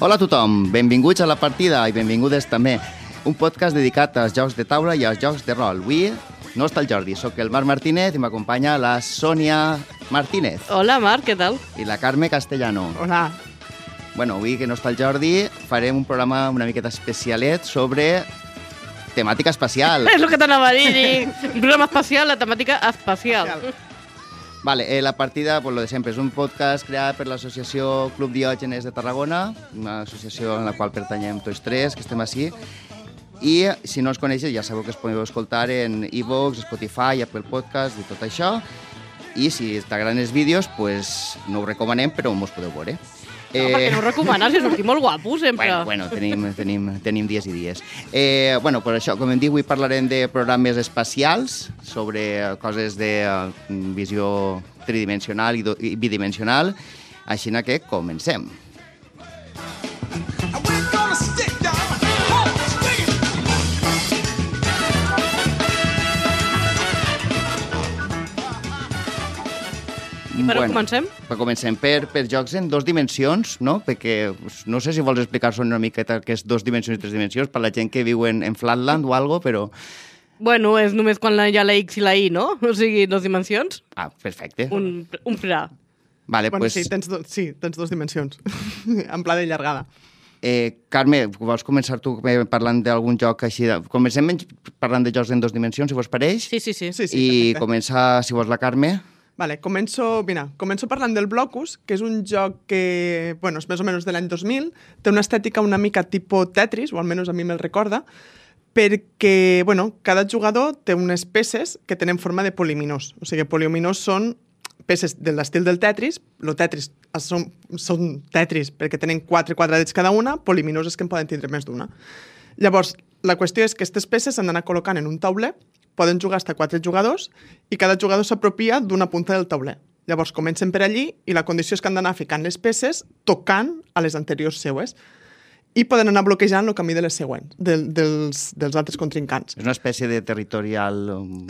Hola a tothom, benvinguts a La Partida i benvingudes també. Un podcast dedicat als jocs de taula i als jocs de rol. Avui no està el Jordi, sóc el Marc Martínez i m'acompanya la Sònia Martínez. Hola Marc, què tal? I la Carme Castellano. Hola. Bueno, avui que no està el Jordi farem un programa una miqueta especialet sobre temàtica espacial. És el que t'anava a dir. Un programa espacial, la temàtica espacial. Vale, La Partida, pues lo de sempre, és un podcast creat per l'associació Club Diògenes de Tarragona, una associació en la qual pertanyem tots tres, que estem així. I si no els coneixes, ja sabeu que es podeu escoltar en iVoox, Spotify, Apple Podcast i tot això. I si t'agraden els vídeos, pues no ho recomanem, però mos podeu veure. No, perquè no ho recomanes, és sortir molt guapo, sempre. Bueno, tenim dies i dies. Bueno, per això, com hem dit, avui parlarem de programes espacials, sobre coses de visió tridimensional i bidimensional, així que comencem. I per on comencem? Comencem per jocs en dos dimensions, no? Perquè no sé si vols explicar-nos una miqueta què és dos dimensions i tres dimensions per la gent que viu en Flatland o algo, però... Bueno, és només quan hi ha la X i la Y, no? O sigui, dos dimensions. Ah, perfecte. Un fra. Vale, Bueno, pues... sí, tens dos dimensions, en pla de llargada. Carme, vols començar tu parlant d'algun joc així? Comencem parlant de jocs en dos dimensions, si vos pareix? Sí. Sí, I perfecte. comença, si vols, la Carme. Vale, començo parlant del Blocus, que és un joc que, bueno, és més o menys de l'any 2000, té una estètica una mica tipus Tetris, o almenys a mi me'l recorda, perquè, bueno, cada jugador té unes peces que tenen forma de poliminós. O sigui, poliminós són peces de l'estil del Tetris, el Tetris són Tetris perquè tenen 4 quadradets cada una, poliminós és que en poden tindre més d'una. Llavors, la qüestió és que aquestes peces s'han d'anar col·locant en un tauler, poden jugar fins a 4 jugadors i cada jugador s'apropia d'una punta del tauler. Llavors comencen per allí i la condició és que han d'anar ficant les peces tocant a les anteriors seues i poden anar bloquejant el camí de les següents, dels altres contrincants. És una espècie de territorial...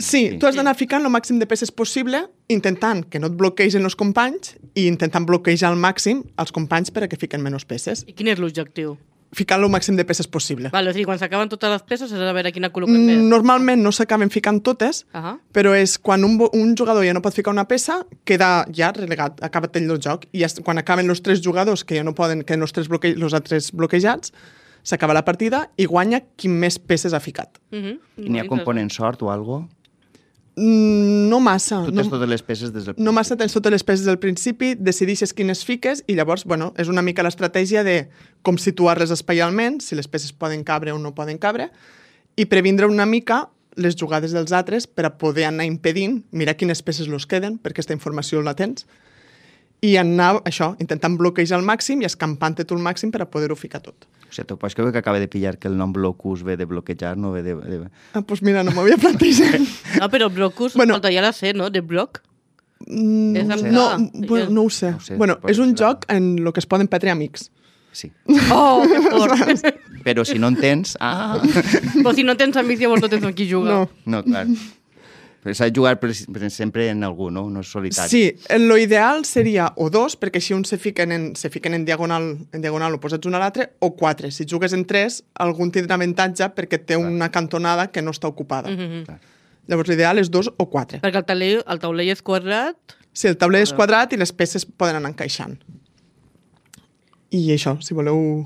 Sí, tu has d'anar ficant el màxim de peces possible intentant que no et bloquegen els companys i intentant bloquejar al màxim els companys per a que fiquen menys peces. I quin és l'objectiu? Ficant el màxim de peces possible. Vale, o sigui, quan s'acaben totes les peces has de veure quina col·loquen més. Normalment no s'acaben ficant totes, però és quan un jugador ja no pot ficar una peça, queda ja relegat, acaba el joc, i quan acaben els 3 jugadors que ja no poden, que els altres bloquejats, s'acaba la partida i guanya qui més peces ha ficat. I n'hi ha component sort o algo? No massa. Tu tens totes les peces des del principi. No massa, tens totes les peces del principi, decideixes quines fiques i llavors, bueno, és una mica l'estratègia de com situar-les espaialment, si les peces poden cabre o no poden cabre, i previndre una mica les jugades dels altres per a poder anar impedint, mirar quines peces los queden, perquè aquesta informació la tens, i anar, això, intentant bloquejar al màxim i escampant-te tu al màxim per a poder-ho ficar tot. O sigui, tu pots creure que acaba de pillar que el nom Blocus ve de bloquejar, no ve de... Ah, doncs mira, no m'havia plantejat. No, però Blocus, escolta, ja la sé, no? De bloc? No ho sé. Bueno, és un joc en el que es poden perdre amics. Sí. Oh, que fort! Però si no en tens... Però si no tens amics, llavors no tens amb qui jugar. No, clar. Però s'ha de jugar sempre en algú, no? No és solitari. Sí, lo ideal seria o 2, perquè així uns se fiquen en diagonal oposats un a l'altre, o 4. Si jugues en 3, algun tindrà avantatge perquè té una cantonada que no està ocupada. Llavors l'ideal és 2 o 4. Perquè el taulell és quadrat... Sí, el tauler és quadrat i les peces poden anar encaixant. I això, si voleu,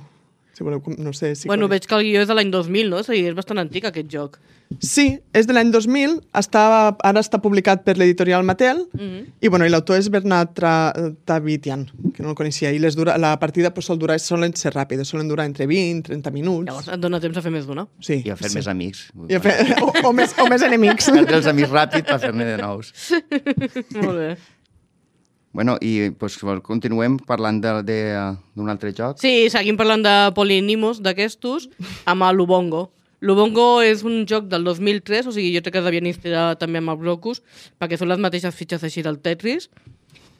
no sé... Si bueno, veig que el guió és de l'any 2000, no? O sigui, és bastant antic, aquest joc. Sí, és de l'any 2000, ara està publicat per l'editorial Mattel, i l'autor és Bernard Tavitian, que no el coneixia, i la partida solen ser ràpides, solen durar entre 20 i 30 minuts. Llavors et dona temps a fer més d'una. Sí, I a fer més amics. o més enemics. Perdre els amics ràpid per fer-ne de nous. Molt bé. Bueno, i pues, continuem parlant d'un altre joc. Sí, seguim parlant de polinimos d'aquestos amb l'Ubongo. L'Ubongo és un joc del 2003, o sigui, jo crec que devien inspirar també amb el Blocus, perquè són les mateixes fitxes així del Tetris,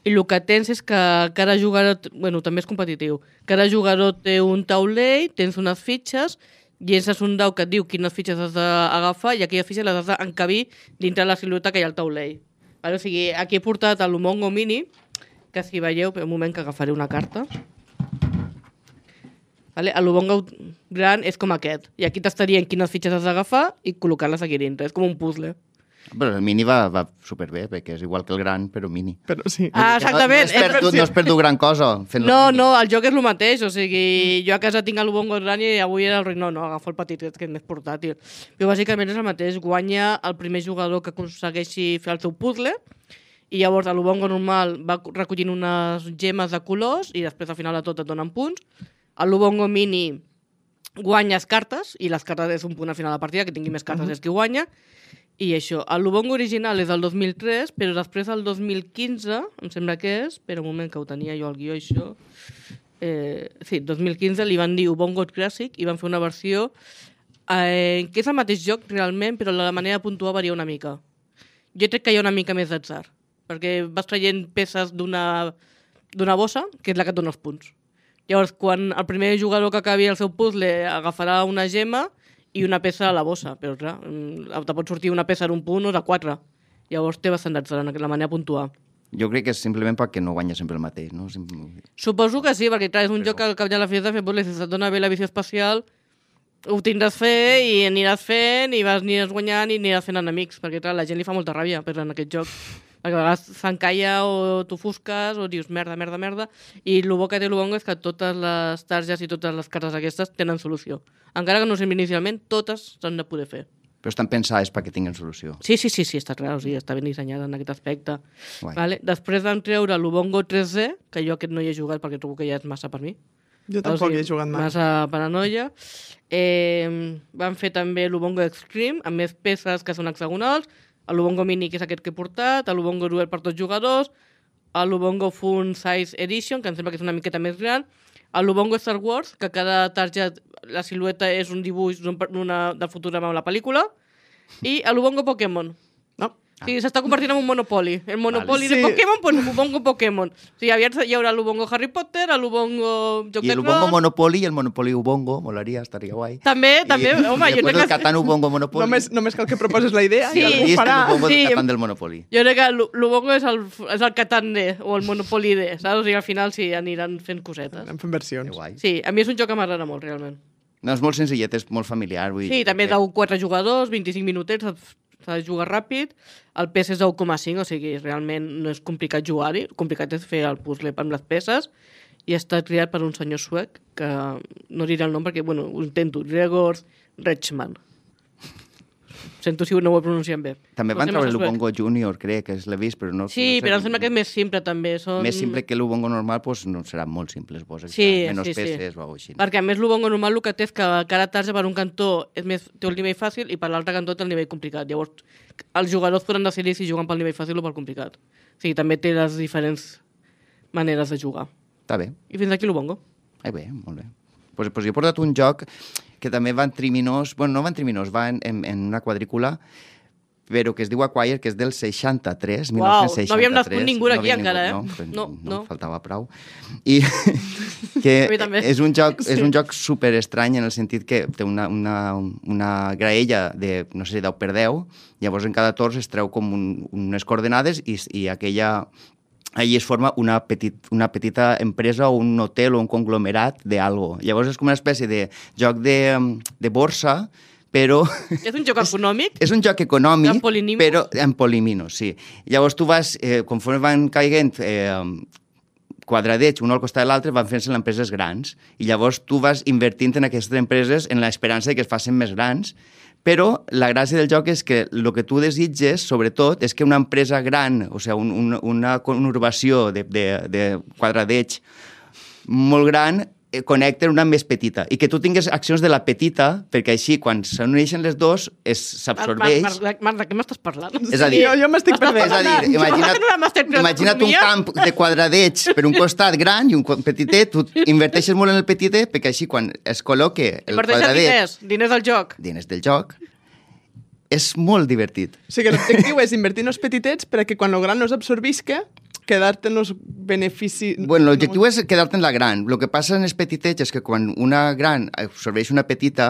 i el que tens és que cada jugador, bueno, també és competitiu, cada jugador té un taulell, tens unes fitxes, llences un dau que et diu quines fitxes has d'agafar i aquelles fitxes les has d'encabir dintre la silueta que hi ha al taulell. O sigui, aquí he portat l'Umongo Mini, que si veieu, un moment que agafaré una carta. Vale? L'Ubongo gran és com aquest. I aquí t'estarien quines fitxes has d'agafar i col·locar-les aquí dintre. És com un puzzle. Però el mini va superbé, perquè és igual que el gran, però mini. Però sí. Ah, exactament. No has perdut gran cosa fent-lo mini. No, el joc és el mateix. O sigui, jo a casa tinc l'Ubongo gran i avui era el rei. No, agafo el petit, que és més portàtil. Però bàsicament és el mateix. Guanya el primer jugador que aconsegueixi fer el seu puzzle i llavors l'Ubongo normal va recollint unes gemes de colors i després al final de tot et donen punts. L'Ubongo mini guanyes cartes i les cartes és un punt al final de la partida, que tingui més cartes és qui guanya. I això, l'Ubongo original és del 2003, però després del 2015, em sembla que és, espera un moment que ho tenia jo al guió, això, sí, 2015 li van dir Ubongo Classic i van fer una versió que és el mateix joc realment, però la manera de puntuar varia una mica. Jo crec que hi ha una mica més d'atzar, perquè vas traient peces d'una bossa, que és la que et dona els punts. Llavors, quan el primer jugador que acabi el seu puzzle agafarà una gema i una peça a la bossa, però clar, te pot sortir una peça en un punt o de 4. Llavors té bastant d'atzar en la manera de puntuar. Jo crec que és simplement perquè no guanya sempre el mateix, no? Suposo que sí, perquè clar, és un joc que al cap de la fi has de fer puzzles, si et dona bé la visió espacial, ho tindràs fer i aniràs fent i aniràs guanyant i aniràs fent enemics, perquè clar, la gent li fa molta ràbia en aquest joc. Perquè a vegades s'encalla o t'ofusques o dius merda, i el bo que té l'Ubongo és que totes les targes i totes les cartes aquestes tenen solució. Encara que no sembli inicialment, totes s'han de poder fer. Però estan pensades perquè tinguin solució. Sí, està clar, o sigui, està ben dissenyada en aquest aspecte. Vale? Després vam treure l'Ubongo 3D, que jo aquest no hi he jugat perquè trobo que ja és massa per mi. Jo tampoc hi he jugat mai. Massa paranoia. Vam fer també l'Ubongo Extreme, amb més peces que són hexagonals, l'Ubongo Mini, que és aquest que he portat, l'Ubongo Duel per tots jugadors, l'Ubongo Fun Size Edition, que em sembla que és una miqueta més gran, l'Ubongo Star Wars, que cada targeta, la silueta és un dibuix del futur amb la pel·lícula, i l'Ubongo Pokémon. No? Sí, s'està convertint en un Monopoly. El Monopoly Vale. de Pokémon, pues l'Ubongo Pokémon. O sigui, aviat hi haurà l'Ubongo Harry Potter, l'Ubongo Joc I de l'Ubongo Trons... Monopoly i el Monopoly Ubongo, molaria, estaria guai. També, home, I després el Catan Ubongo Monopoly. Només cal que proposes la idea Sí. i algú I és ho farà. l'Ubongo Sí. Catan del Monopoly. Jo crec que l'Ubongo és el Catan D o el Monopoly D, saps? O sigui, al final sí, aniran fent cosetes. Anem fent Que versions. guai. Sí, a mi és un joc que m'agrada molt, realment. No, és molt senzillet, és molt familiar. Vull Sí, dir també que- és de 4 jugadors, 25 minutets, s'ha de jugar ràpid. El pes és de 1,5, o sigui, realment no és complicat jugar-hi. Complicat és fer el puzzle amb les peces. I està triat per un senyor suec, que no diré el nom perquè, bueno, ho intento, Gregor Rechman. Sento si no ho he pronunciat bé. També Però van sembla treure suec. l'Ubongo Junior, crec, que l'he vist, però no... Sí, no sé, però em sembla que és més simple, també. Són... Més simple que l'Ubongo normal, doncs no serà molt simple, suposo. Sí, Menys sí, sí. peces o alguna cosa així. Perquè a més l'Ubongo normal el que té és que cada tarja per un cantó té el nivell fàcil i per l'altre cantó té el nivell complicat. Llavors els jugadors poden decidir si juguen pel nivell fàcil o pel complicat. O sigui, també té les diferents maneres de jugar. Està bé. I fins aquí l'Ubongo. Bé, molt bé. Pues jo he portat un joc que també va en triminós, bueno, no va en triminós, va en una quadrícula, però que es diu Acquire, que és del 63, Uau, 1963. no havíem nascut ningú aquí havia encara, No, faltava prou. I que A mi també. és un joc super estrany en el sentit que té una graella de, no sé, 10 per 10, llavors en cada torn es treu com unes coordenades i allí es forma una petita empresa o un hotel o un conglomerat d'algo. Llavors és com una espècie de joc de borsa, però... És un joc econòmic? És un joc econòmic, En polinimos? però en polimino, sí. Llavors tu vas, conforme van caiguent quadradets un al costat de l'altre, van fent-se empreses grans. I llavors tu vas invertint en aquestes empreses en l'esperança que es facin més grans, però la gràcia del joc és que el que tu desitges, sobretot, és que una empresa gran, o sigui, una conurbació de quadradets molt gran, connecten una més petita i que tu tingues accions de la petita perquè així quan s'uneixen les dos s'absorbeix. Marc, de què m'estàs parlant? És a dir, jo m'estic perdent. És a dir, imagina't un camp de quadradets per un costat gran i un petitet, tu inverteixes molt en el petitet perquè així quan es col·loque el quadradet... Diners del joc. Diners del joc. És molt divertit. O sigui, l'objectiu és invertir en els petitets perquè quan el gran no s'absorbisca, quedar-te en els beneficis... Bueno, l'objectiu és quedar-te en la gran. El que passa en els petitets és que quan una gran absorbeix una petita,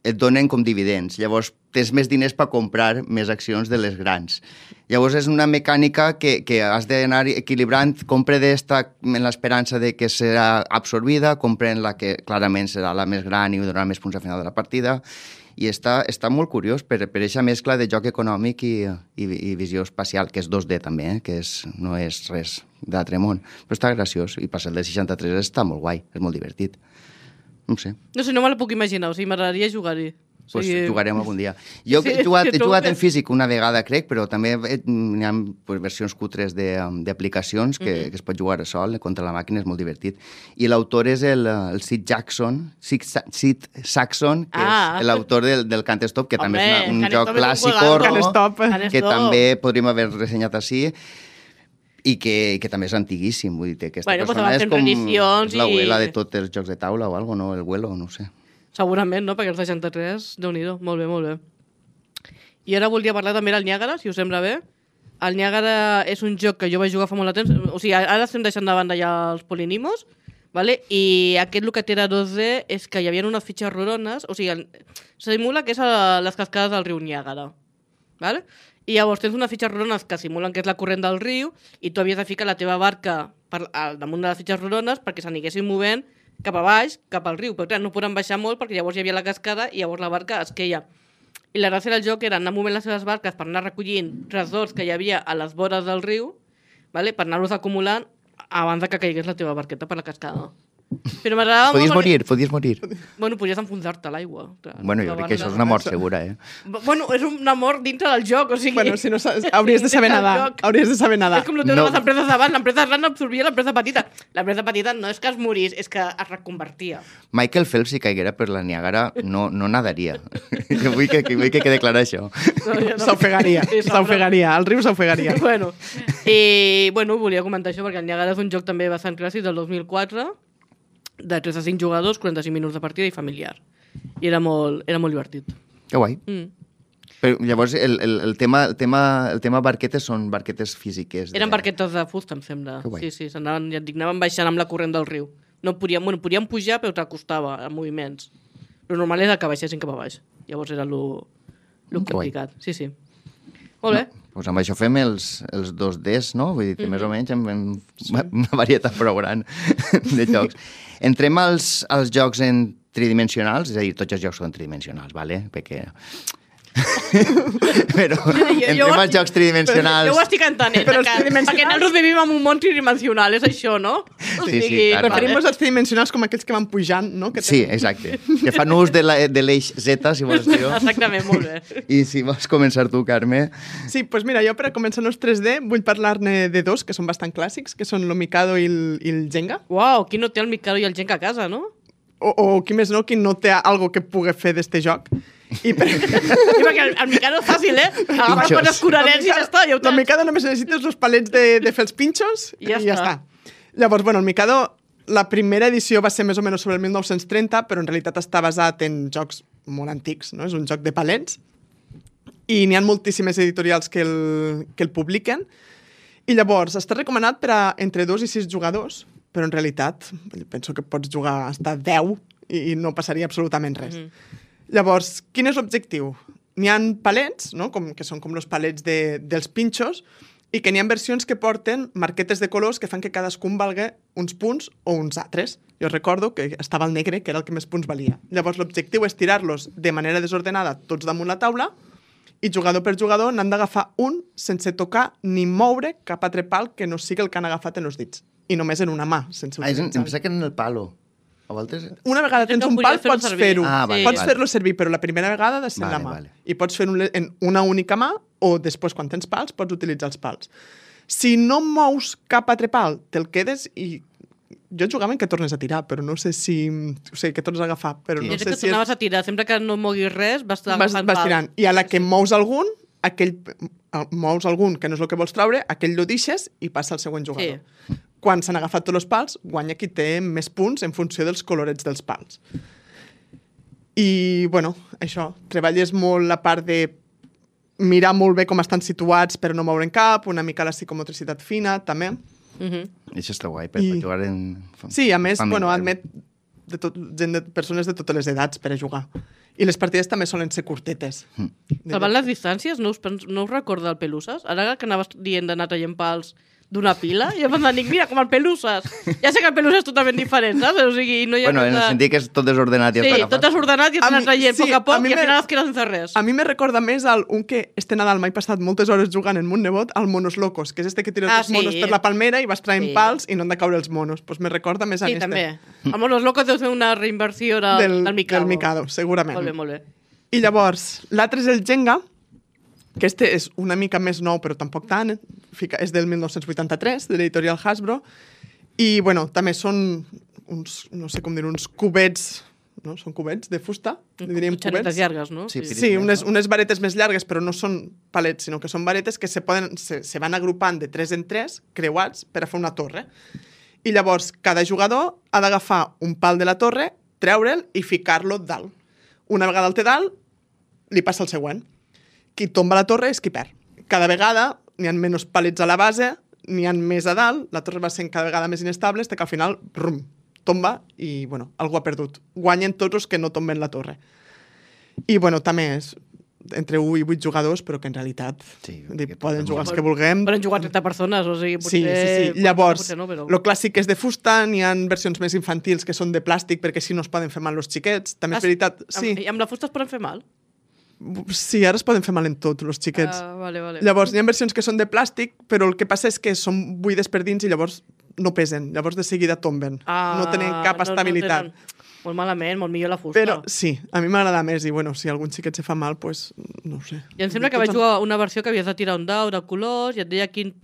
et donen com dividends. Llavors, tens més diners per comprar més accions de les grans. Llavors, és una mecànica que has d'anar equilibrant. Compre d'esta en l'esperança de que serà absorbida, compre en la que clarament serà la més gran i donarà més punts al final de la partida. I està molt curiós per aquesta mescla de joc econòmic i visió espacial, que és 2D també, que no és res d'altre món. Però està graciós. I passar el de 63 està molt guai, és molt divertit. No sé. No sé, no me la puc imaginar, o sigui, m'agradaria jugar-hi. Pues jugarem algun dia. Jo he jugat en físic una vegada, crec, però també hi ha versions cutres d'aplicacions que es pot jugar sol contra la màquina, és molt divertit. I l'autor és el Sid Saxon, que és l'autor del Can't Stop, que també és un joc clàssic, que també podríem haver ressenyat així, i que també és antiguíssim. Vull dir, aquesta persona és com l'abuela de tots els jocs de taula o alguna cosa, no? El Güelo, no sé. Segurament, no? Perquè el 63, Déu-n'hi-do. Molt bé, molt bé. I ara voldria parlar també del Niàgara, si us sembla bé. El Niàgara és un joc que jo vaig jugar fa molt de temps. O sigui, ara estem deixant de banda ja els polinimos, vale? I aquest el que té era 2D és que hi havia unes fitxes rorones, o sigui, simula que és a les cascades del riu Niàgara. Vale? I llavors tens unes fitxes rorones que simulen que és la corrent del riu i tu havies de ficar la teva barca al damunt de les fitxes rorones perquè s'aniguessin movent cap a baix, cap al riu, però clar, no podran baixar molt perquè llavors hi havia la cascada i llavors la barca es queia. I la gràcia del joc era anar movent les seves barques per anar recollint tresors que hi havia a les vores del riu, vale? Per anar-los acumulant abans que caigués la teva barqueta per la cascada. Però m'agradava molt... Podies morir. Bueno, podries enfonsar-te a l'aigua. Bueno, jo crec que això és una mort segura, Bueno, és una mort dintre del joc, o sigui... Bueno, si no hauries de saber nadar. Hauries de saber nadar. És com el tema de les empreses d'abans. L'empresa gran absorbia l'empresa petita. L'empresa petita no és que es morís, és que es reconvertia. Michael Phelps, si caiguera per la Niàgara, no nadaria. Jo vull que quede clar això. S'ofegaria. El riu s'ofegaria. Bueno, volia comentar això perquè el Niàgara és un joc també bastant clàssic del 2004, de 3 a 5 jugadors, 45 minuts de partida i familiar. I era molt divertit. Que guai. Però llavors el tema barquetes són barquetes físiques. Eren barquetes de fusta, em sembla. Sí, anaven baixant amb la corrent del riu. No podien pujar, però t'acostava a moviments. Lo normal era que baixessin cap a baix. Llavors era lo complicat. Sí. Molt bé. Doncs amb això fem els 2Ds, no? Vull dir, més o menys amb una varietat prou gran de jocs. Entrem als jocs en tridimensionals, és a dir, tots els jocs són tridimensionals, ¿vale? Perquè... Però entrem als jocs tridimensionals... Jo ho estic entenent, perquè nosaltres vivim en un món tridimensional, és això, no? Sí, clar. Preferim els tridimensionals com aquells que van pujant, no? Sí, exacte. Que fan ús de l'eix Z, si vols dir. Exactament, molt bé. I si vols començar tu, Carme... Sí, doncs mira, jo per començar els 3D vull parlar-ne de dos que són bastant clàssics, que són el Mikado i el Jenga. Uau, qui no té el Mikado i el Jenga a casa, no? O qui més no, qui no té algo que pugui fer d'este joc. Perquè el Mikado és fàcil, agafar quan escurarets i ja està. El Mikado només necessites els palets de fer els pinxos i ja està. Llavors, bueno, el Mikado, la primera edició va ser més o menys sobre el 1930, però en realitat està basat en jocs molt antics, no? És un joc de palets i n'hi ha moltíssimes editorials que el publiquen i llavors està recomanat per a entre 2 i 6 jugadors, però en realitat penso que pots jugar hasta 10 i no passaria absolutament res. Llavors, quin és l'objectiu? N'hi ha palets, no? Que són com els palets dels pinxos, i que n'hi ha versions que porten marquetes de colors que fan que cadascun valga uns punts o uns altres. Jo recordo que estava el negre, que era el que més punts valia. Llavors, l'objectiu és tirar-los de manera desordenada tots damunt la taula i jugador per jugador n'han d'agafar un sense tocar ni moure cap altre pal que no sigui el que han agafat en els dits. I només en una mà, sense utilitzar. Em pensa que en el palo. Una vegada tens un pal, pots fer-ho. Pots fer-lo servir, però la primera vegada ha de ser en la mà. I pots fer-ho en una única mà o després, quan tens pals, pots utilitzar els pals. Si no mous cap altre pal, te'l quedes i... Jo jugava en que tornes a tirar, però no sé si... O sigui, que tornes a agafar, però no sé si... que tornaves a tirar. Sempre que no moguis res, vas agafant pals. Tirant. I a la que mous algun, mous algun que no és el que vols treure, aquell lo deixes i passa al següent jugador. Sí. Quan s'han agafat tots els pals, guanya qui té més punts en funció dels colorets dels pals. I, bueno, això, treballes molt la part de mirar molt bé com estan situats per no moure'n cap, una mica la psicomotricitat fina, també. Això està guai, per jugar en... Sí, a més, bueno, admet gent persones de totes les edats per a jugar. I les partides també solen ser curtetes. Salvant les distàncies, no us recorda el Peluses? Ara que anaves dient d'anar traient pals d'una pila, i em van dir, mira, com el Peluses. Ja sé que el Peluses és totalment diferent, saps? O sigui, no hi ha en el sentit que és tot desordenat i sí, tot desordenat i et anar traient a poc a poc i al final es quedes sense res. A mi me recorda més un que este Nadal m'he passat moltes hores jugant en mon nebot, al Monos Locos, que és este que tires els monos per la palmera i vas traient pals i no han de caure els monos. Pues me recorda més a este. Sí, també. El Monos Locos deu ser una reinversió del Mikado. Del Mikado, segurament. Molt bé, molt bé. I llavors, l'altre és el Jenga, que este és una mica més nou, però tampoc tant. És del 1983, de l'editorial Hasbro. I, bueno, també són uns, no sé com dir, uns cubets, no? Són cubets de fusta, diríem cubets. Llargues, no? Sí, unes varetes més llargues, però no són palets, sinó que són varetes que se van agrupant de 3 en 3, creuats, per a fer una torre. I llavors, cada jugador ha d'agafar un pal de la torre, treure'l i ficar-lo dalt. Una vegada el té dalt, li passa el següent. Qui tomba la torre és qui perd. Cada vegada n'hi ha menys palets a la base, n'hi ha més a dalt, la torre va sent cada vegada més inestable, fins que al final, brum, tomba i, bueno, algú ha perdut. Guanyen tots els que no tomben la torre. I, bueno, també és entre 1 i 8 jugadors, però que en realitat poden jugar els que vulguem. Poden jugar 30 persones, o sigui, potser... Sí. Llavors, no, però... lo clàssic és de fusta, n'hi ha versions més infantils que són de plàstic, perquè així no es poden fer mal els xiquets. També és veritat... Sí. I amb la fusta es poden fer mal? Sí, ara es poden fer mal en tot, els xiquets. Vale. Llavors, hi ha versions que són de plàstic, però el que passa és que són buides per dins i llavors no pesen. Llavors, de seguida tomben. No tenen cap estabilitat. Molt malament, molt millor la fusta. Però sí, a mi m'agrada més i, bueno, si algun xiquet se fa mal, pues, no ho sé. I em sembla que vaig jugar una versió que havies de tirar un dau de colors i et deia de quin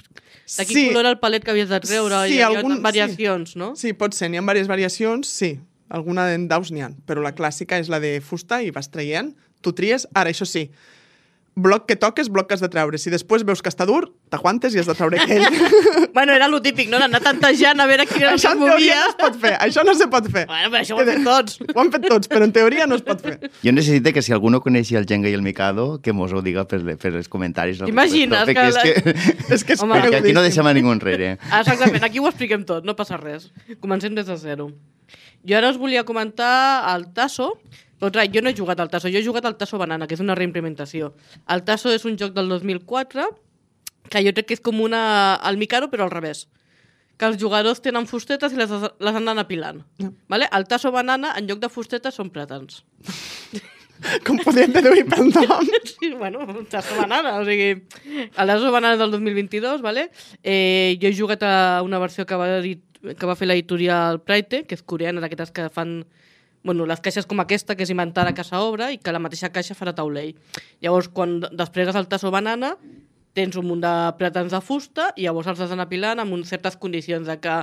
color era el palet que havies de treure. Sí, hi havia variacions, no? Sí, pot ser. N'hi ha diverses variacions, sí. Alguna en daus n'hi ha. Però la clàssica és la de fusta i vas traient. Tu tries, ara, això sí, bloc que toques, bloc que has de treure. Si després veus que està dur, t'aguantes i has de treure aquell. Bueno, era lo típic, no? D'anar tantejant a veure quin era el que es movia. No es pot fer, això no se pot fer. Bueno, però això ho han fet tots. Ho han fet tots, però en teoria no es pot fer. Jo necessito que si algú no coneixi el Jenga i el Mikado, que mos ho diga per els comentaris. Imagines que... És que perquè aquí no deixem a ningú enrere. Exactament, aquí ho expliquem tot, no passa res. Comencem des de zero. Jo ara us volia comentar el Tasso, però clar, jo no he jugat al Tasso, jo he jugat al Tasso Banana, que és una reimplementació. El Tasso és un joc del 2004, que jo crec que és com el Mikado, però al revés. Que els jugadors tenen fustetes i les han d'anar apilant. Vale? El Tasso Banana, en lloc de fustetes, són plàtans. Com podríem deduir pel nom? Sí, bueno, Tasso Banana, o sigui... El Tasso Banana del 2022, vale? Jo he jugat a una versió que va fer l'editorial Praite, que és coreana, d'aquestes que fan... Bueno, les caixes com aquesta, que és inventada a casa obra, i que la mateixa caixa farà taulell. Llavors, quan desplegues el Tasso Banana, tens un munt de plàtans de fusta i llavors els has d'anar apilant amb certes condicions, de que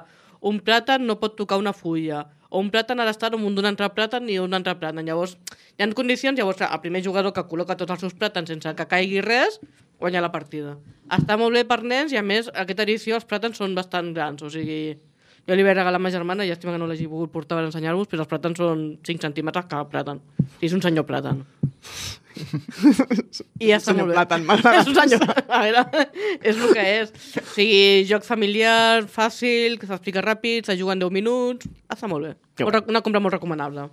un plàtan no pot tocar una fulla, o un plàtan ha d'estar damunt d'un altre plàtan i un altre plàtan. Llavors, hi ha condicions, llavors el primer jugador que col·loca tots els seus plàtans sense que caigui res, guanya la partida. Està molt bé per nens i, a més, aquesta edició els plàtans són bastant grans, o sigui... Jo li vaig regalar a ma germana, llàstima que no l'hagi pogut portar per ensenyar-vos, però els plàtans són 5 centímetres cada plàtan. És un senyor plàtan. I ja està molt bé. Plàtan, m'agrada. És un senyor... A veure, és el que és. O sigui, joc familiar, fàcil, que s'explica ràpid, se juga en 10 minuts... Està molt bé. Una compra molt recomanable.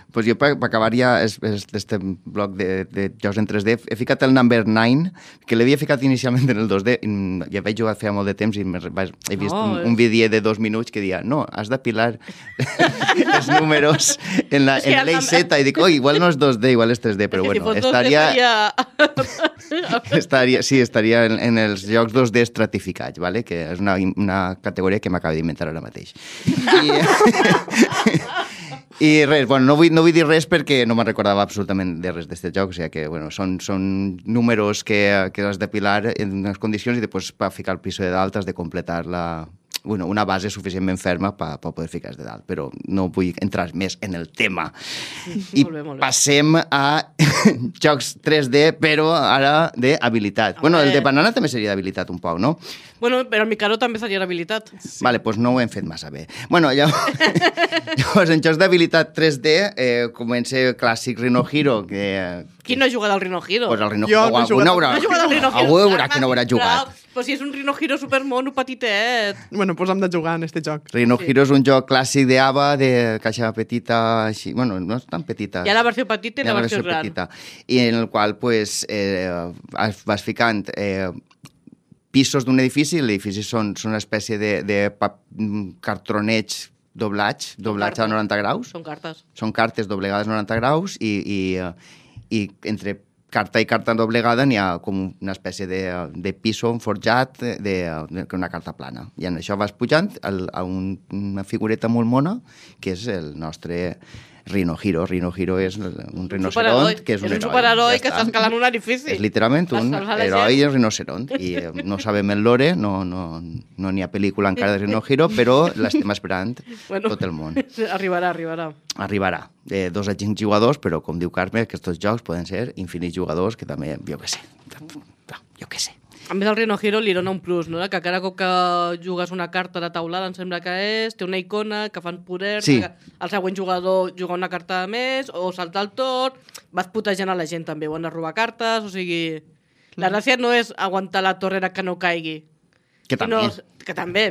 Pues jo, per acabar ja este bloc de jocs en 3D, he ficat el Number 9, que l'havia ficat inicialment en el 2D, ja vaig jugar feia molt de temps i he vist un vídeo de 2 minuts que deia, no, has d'apilar els números en l'eix Z, i dic, igual no és 2D, igual és 3D, però bueno, estaria en els jocs 2D estratificats, ¿vale? Que és una categoria que m'acabo d'inventar ara mateix. I res, bueno, no vull dir res perquè no me'n recordava absolutament de res d'aquest joc, o sigui que, bueno, són números que has d'apilar en unes condicions i després per ficar el piso de dalt has de completar una base suficientment ferma per poder ficar de dalt, però no vull entrar més en el tema. I molt bé. Passem a jocs 3D, però ara d'habilitat. Bueno, el de Banana també seria d'habilitat un poc, no? Bueno, però el Mikado també seria d'habilitat. Sí. Vale, doncs no ho hem fet massa bé. Bueno, llavors en jocs d'habilitat 3D comença el clàssic Rhino Hero, que... Qui no ha jugat al Rhino Hero? Pues el Rhino Hero. Jo no he jugat. No ha jugat al Rhino Hero. Algú veurà que no haurà jugat. Però si és un Rhino Hero supermono petitet. Bueno, doncs hem de jugar en este joc. Rhino Hero és un joc clàssic d'ABA, de caixa petita, així, bueno, no és tan petita. Hi ha la versió petita i la versió gran. Petita, i en el qual pues, vas ficant pisos d'un edifici, l'edifici són una espècie de cartroneig doblats a 90 graus. Són cartes. Són cartes doblegades a 90 graus i entre carta i carta doblegada n'hi ha com una espècie de piso forjat una carta plana. I en això vas pujant a una figureta molt mona, que és el nostre Rhino Hero. Rhino Hero és un rinoceront, que és un heroi. És un superheroi que està escalant un edifici. És literalment un heroi rinoceront. I no sabem el lore, no n'hi ha pel·lícula encara de Rhino Hero, però l'estem esperant tot el món. Arribarà. Arribarà. 2 a 5 jugadors, però com diu Carme, aquests jocs poden ser infinits jugadors, que també, jo què sé. A més, el Rhino Hero li dona un plus, no? Que cada cop que jugues una carta de taulada, em sembla que té una icona que fan poder, sí. Que el següent jugador juga una carta més, o salta el torn, vas putejant a la gent també, o han de robar cartes, o sigui... La gràcia no és aguantar la torrera que no caigui. Que també. Que també.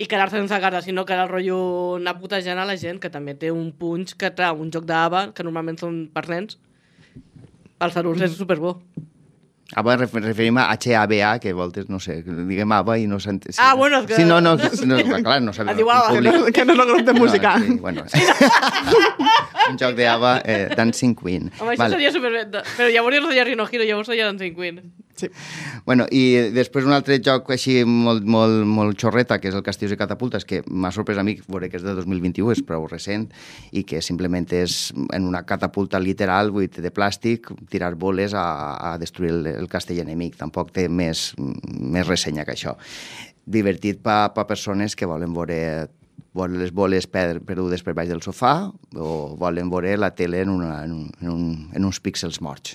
I quedar-se sense cartes, sinó que el rotllo anar putejant a la gent, que també té un punx que trau un joc d'ABA, que normalment són per nens. Els adults és superbo. ABA referim a HABA, que a voltes, no sé, diguem ABA i no s'entén. Ah, bueno, és que... Sí, no, clar, no sabem. Diu ABA. Que no és el grup de música. Sí, bueno. Un joc d'ABA, Dancing Queen. Home, això seria superbé. Però llavors no seria Rhino Hero, llavors seria Dancing Queen. Sí. Bueno, i després un altre joc així molt xorreta, que és el Castillos i Catapultes, que m'ha sorprès a mi, veure que és de 2021, és prou recent, i que simplement és en una catapulta literal, de plàstic, tirar boles a destruir el castell enemic. Tampoc té més ressenya que això. Divertit per persones que volen veure les boles perdudes per baix del sofà o volen veure la tele en uns píxels morts.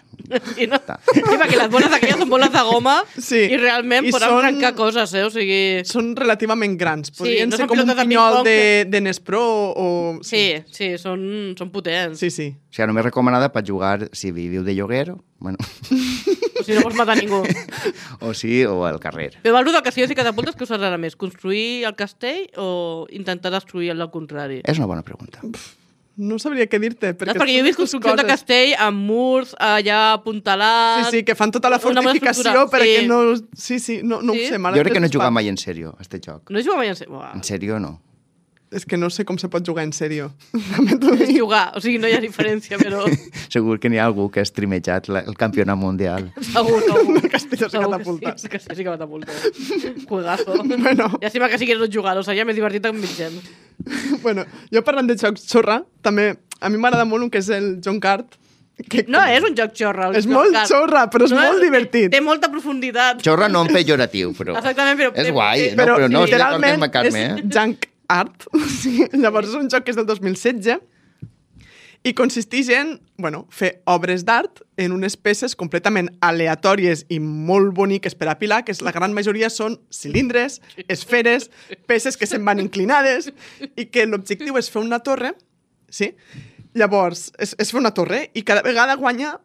Sí, no? Sí, perquè les boles aquelles són boles de goma i realment poden arrencar coses, o sigui... Són relativament grans. Podrien no ser com un pinyol de Nespro o... Sí, són potents. Sí. O sigui, només recomanada per jugar si viviu de lloguer, bueno... O si no vols matar ningú. o al carrer. Però el del Castillos i Catapultes, què us agrada més? Construir el castell o intentar destruir el contrari? És una bona pregunta. No sabria què dir-te. Perquè jo he vist construcció de castell amb murs allà apuntalats... Sí, que fan tota la fortificació perquè no... Sí, no ho sé. Jo crec que no he jugat mai en sèrio, a este joc. No he jugat mai en sèrio? En sèrio, no. És que no sé com se pot jugar en sèrio. És jugar, o sigui, no hi ha diferència, però... Segur que n'hi ha algú que ha streamejat el campionat mundial. Segur. Castillos i Catapultes. Sí, Castillos i Catapultes. Juegazo. Bueno. Llàstima que sigués no jugar, seria més divertit amb mig gent. Bueno, jo parlant de jocs xorra, també a mi m'agrada molt un que és el John Cart. No és un joc xorra. És molt xorra, però és molt divertit. Té molta profunditat. Xorra no en pejoratiu, però... Exactament, però... És guai, però no estic d'acord literalment amb la Carme, és junk art. Sí, llavors és un joc que és del 2016 i consisteix en fer obres d'art en unes peces completament aleatòries i molt boniques per apilar, que la gran majoria són cilindres, esferes, peces que se'n van inclinades i que l'objectiu és fer una torre, sí? Llavors, és fer una torre i cada vegada guanya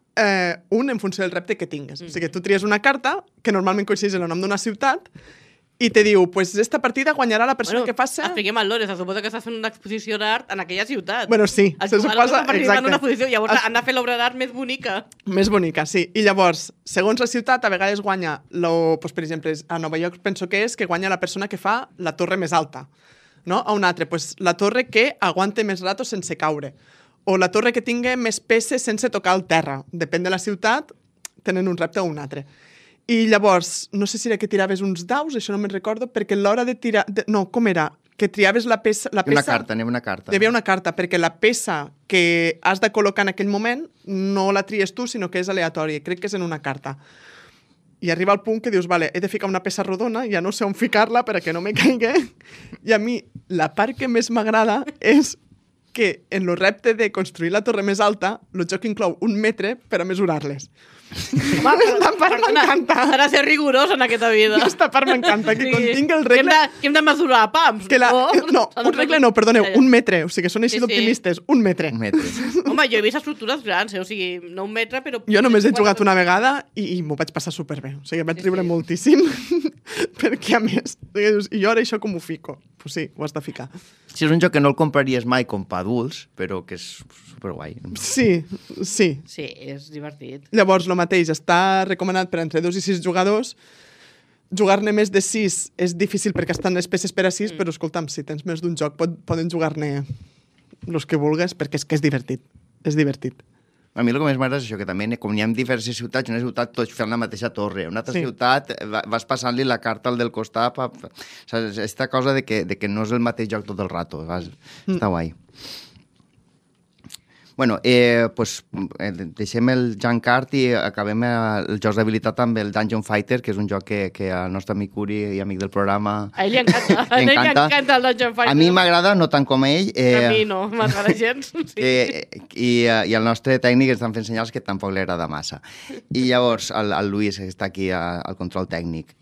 un en funció del repte que tingues. O sigui, tu tries una carta que normalment coincideix en el nom d'una ciutat i te diu, pues esta partida guanyarà la persona que faci... Expliquem el lore, se suposa que estàs fent una exposició d'art en aquella ciutat. Bueno, sí, se suposa... Exacte. Una exposició, llavors han de fer l'obra d'art més bonica. Més bonica, sí. I llavors, segons la ciutat, a vegades guanya... Per exemple, a Nova York penso que guanya la persona que fa la torre més alta. No? A un altre, la torre que aguante més rato sense caure. O la torre que tingui més peces sense tocar el terra. Depèn de la ciutat, tenen un repte o un altre. I llavors, no sé si era que tiraves uns daus, això no me'n recordo, perquè a l'hora de tirar... No, com era? Que triaves la peça... Una carta, anem una carta. Hi havia una carta, perquè la peça que has de col·locar en aquell moment no la tries tu, sinó que és aleatòria. Crec que és en una carta. I arriba al punt que dius, vale, he de ficar una peça rodona, ja no sé on ficar-la perquè no me caigui. I a mi, la part que més m'agrada és que en el repte de construir la torre més alta, el joc inclou 1 metre per a mesurar-les. Home, Esta part m'encanta. Ha de ser rigorós en aquesta vida. Aquesta part m'encanta, que contingui el regle... Que hem de mesurar pams. No, un regle no, perdoneu, 1 metre. O sigui, són així d'optimistes. 1 metre. 1 metre. Home, jo he vist estructures grans, o sigui, no 1 metre, però... Jo només he jugat una vegada i m'ho vaig passar superbé. O sigui, vaig riure moltíssim. perquè a més, dius, i jo ara això com ho fico? Pues sí, ho has de ficar. Sí, és un joc que no el compraries mai com per adults, però que és superguai. Sí. Sí, és divertit. Llavors, el mateix, està recomanat per entre 2 i 6 jugadors. Jugar-ne més de 6 és difícil perquè estan les peces per a 6, però escolta'm, si tens més d'un joc poden jugar-ne els que vulgues, perquè és que és divertit. És divertit. A mi el que més m'agrada és això, que també, com n'hi ha diverses ciutats, una ciutat tots fent la mateixa torre. Una altra Sí. ciutat vas passant-li la carta al del costat. Saps? Aquesta cosa de que no és el mateix joc tot el rato. Està guai. Bueno, pues, deixem el Junk Art i acabem els jocs d'habilitat amb el Dungeon Fighter, que és un joc que el nostre amic Uri i amic del programa... A ell li encanta. A ell li encanta el Dungeon Fighter. A mi m'agrada, no tant com a ell. A mi no, m'agrada gens. Sí. I el nostre tècnic ens estan fent senyals que tampoc li agrada massa. I llavors, el Luis, que està aquí al control tècnic.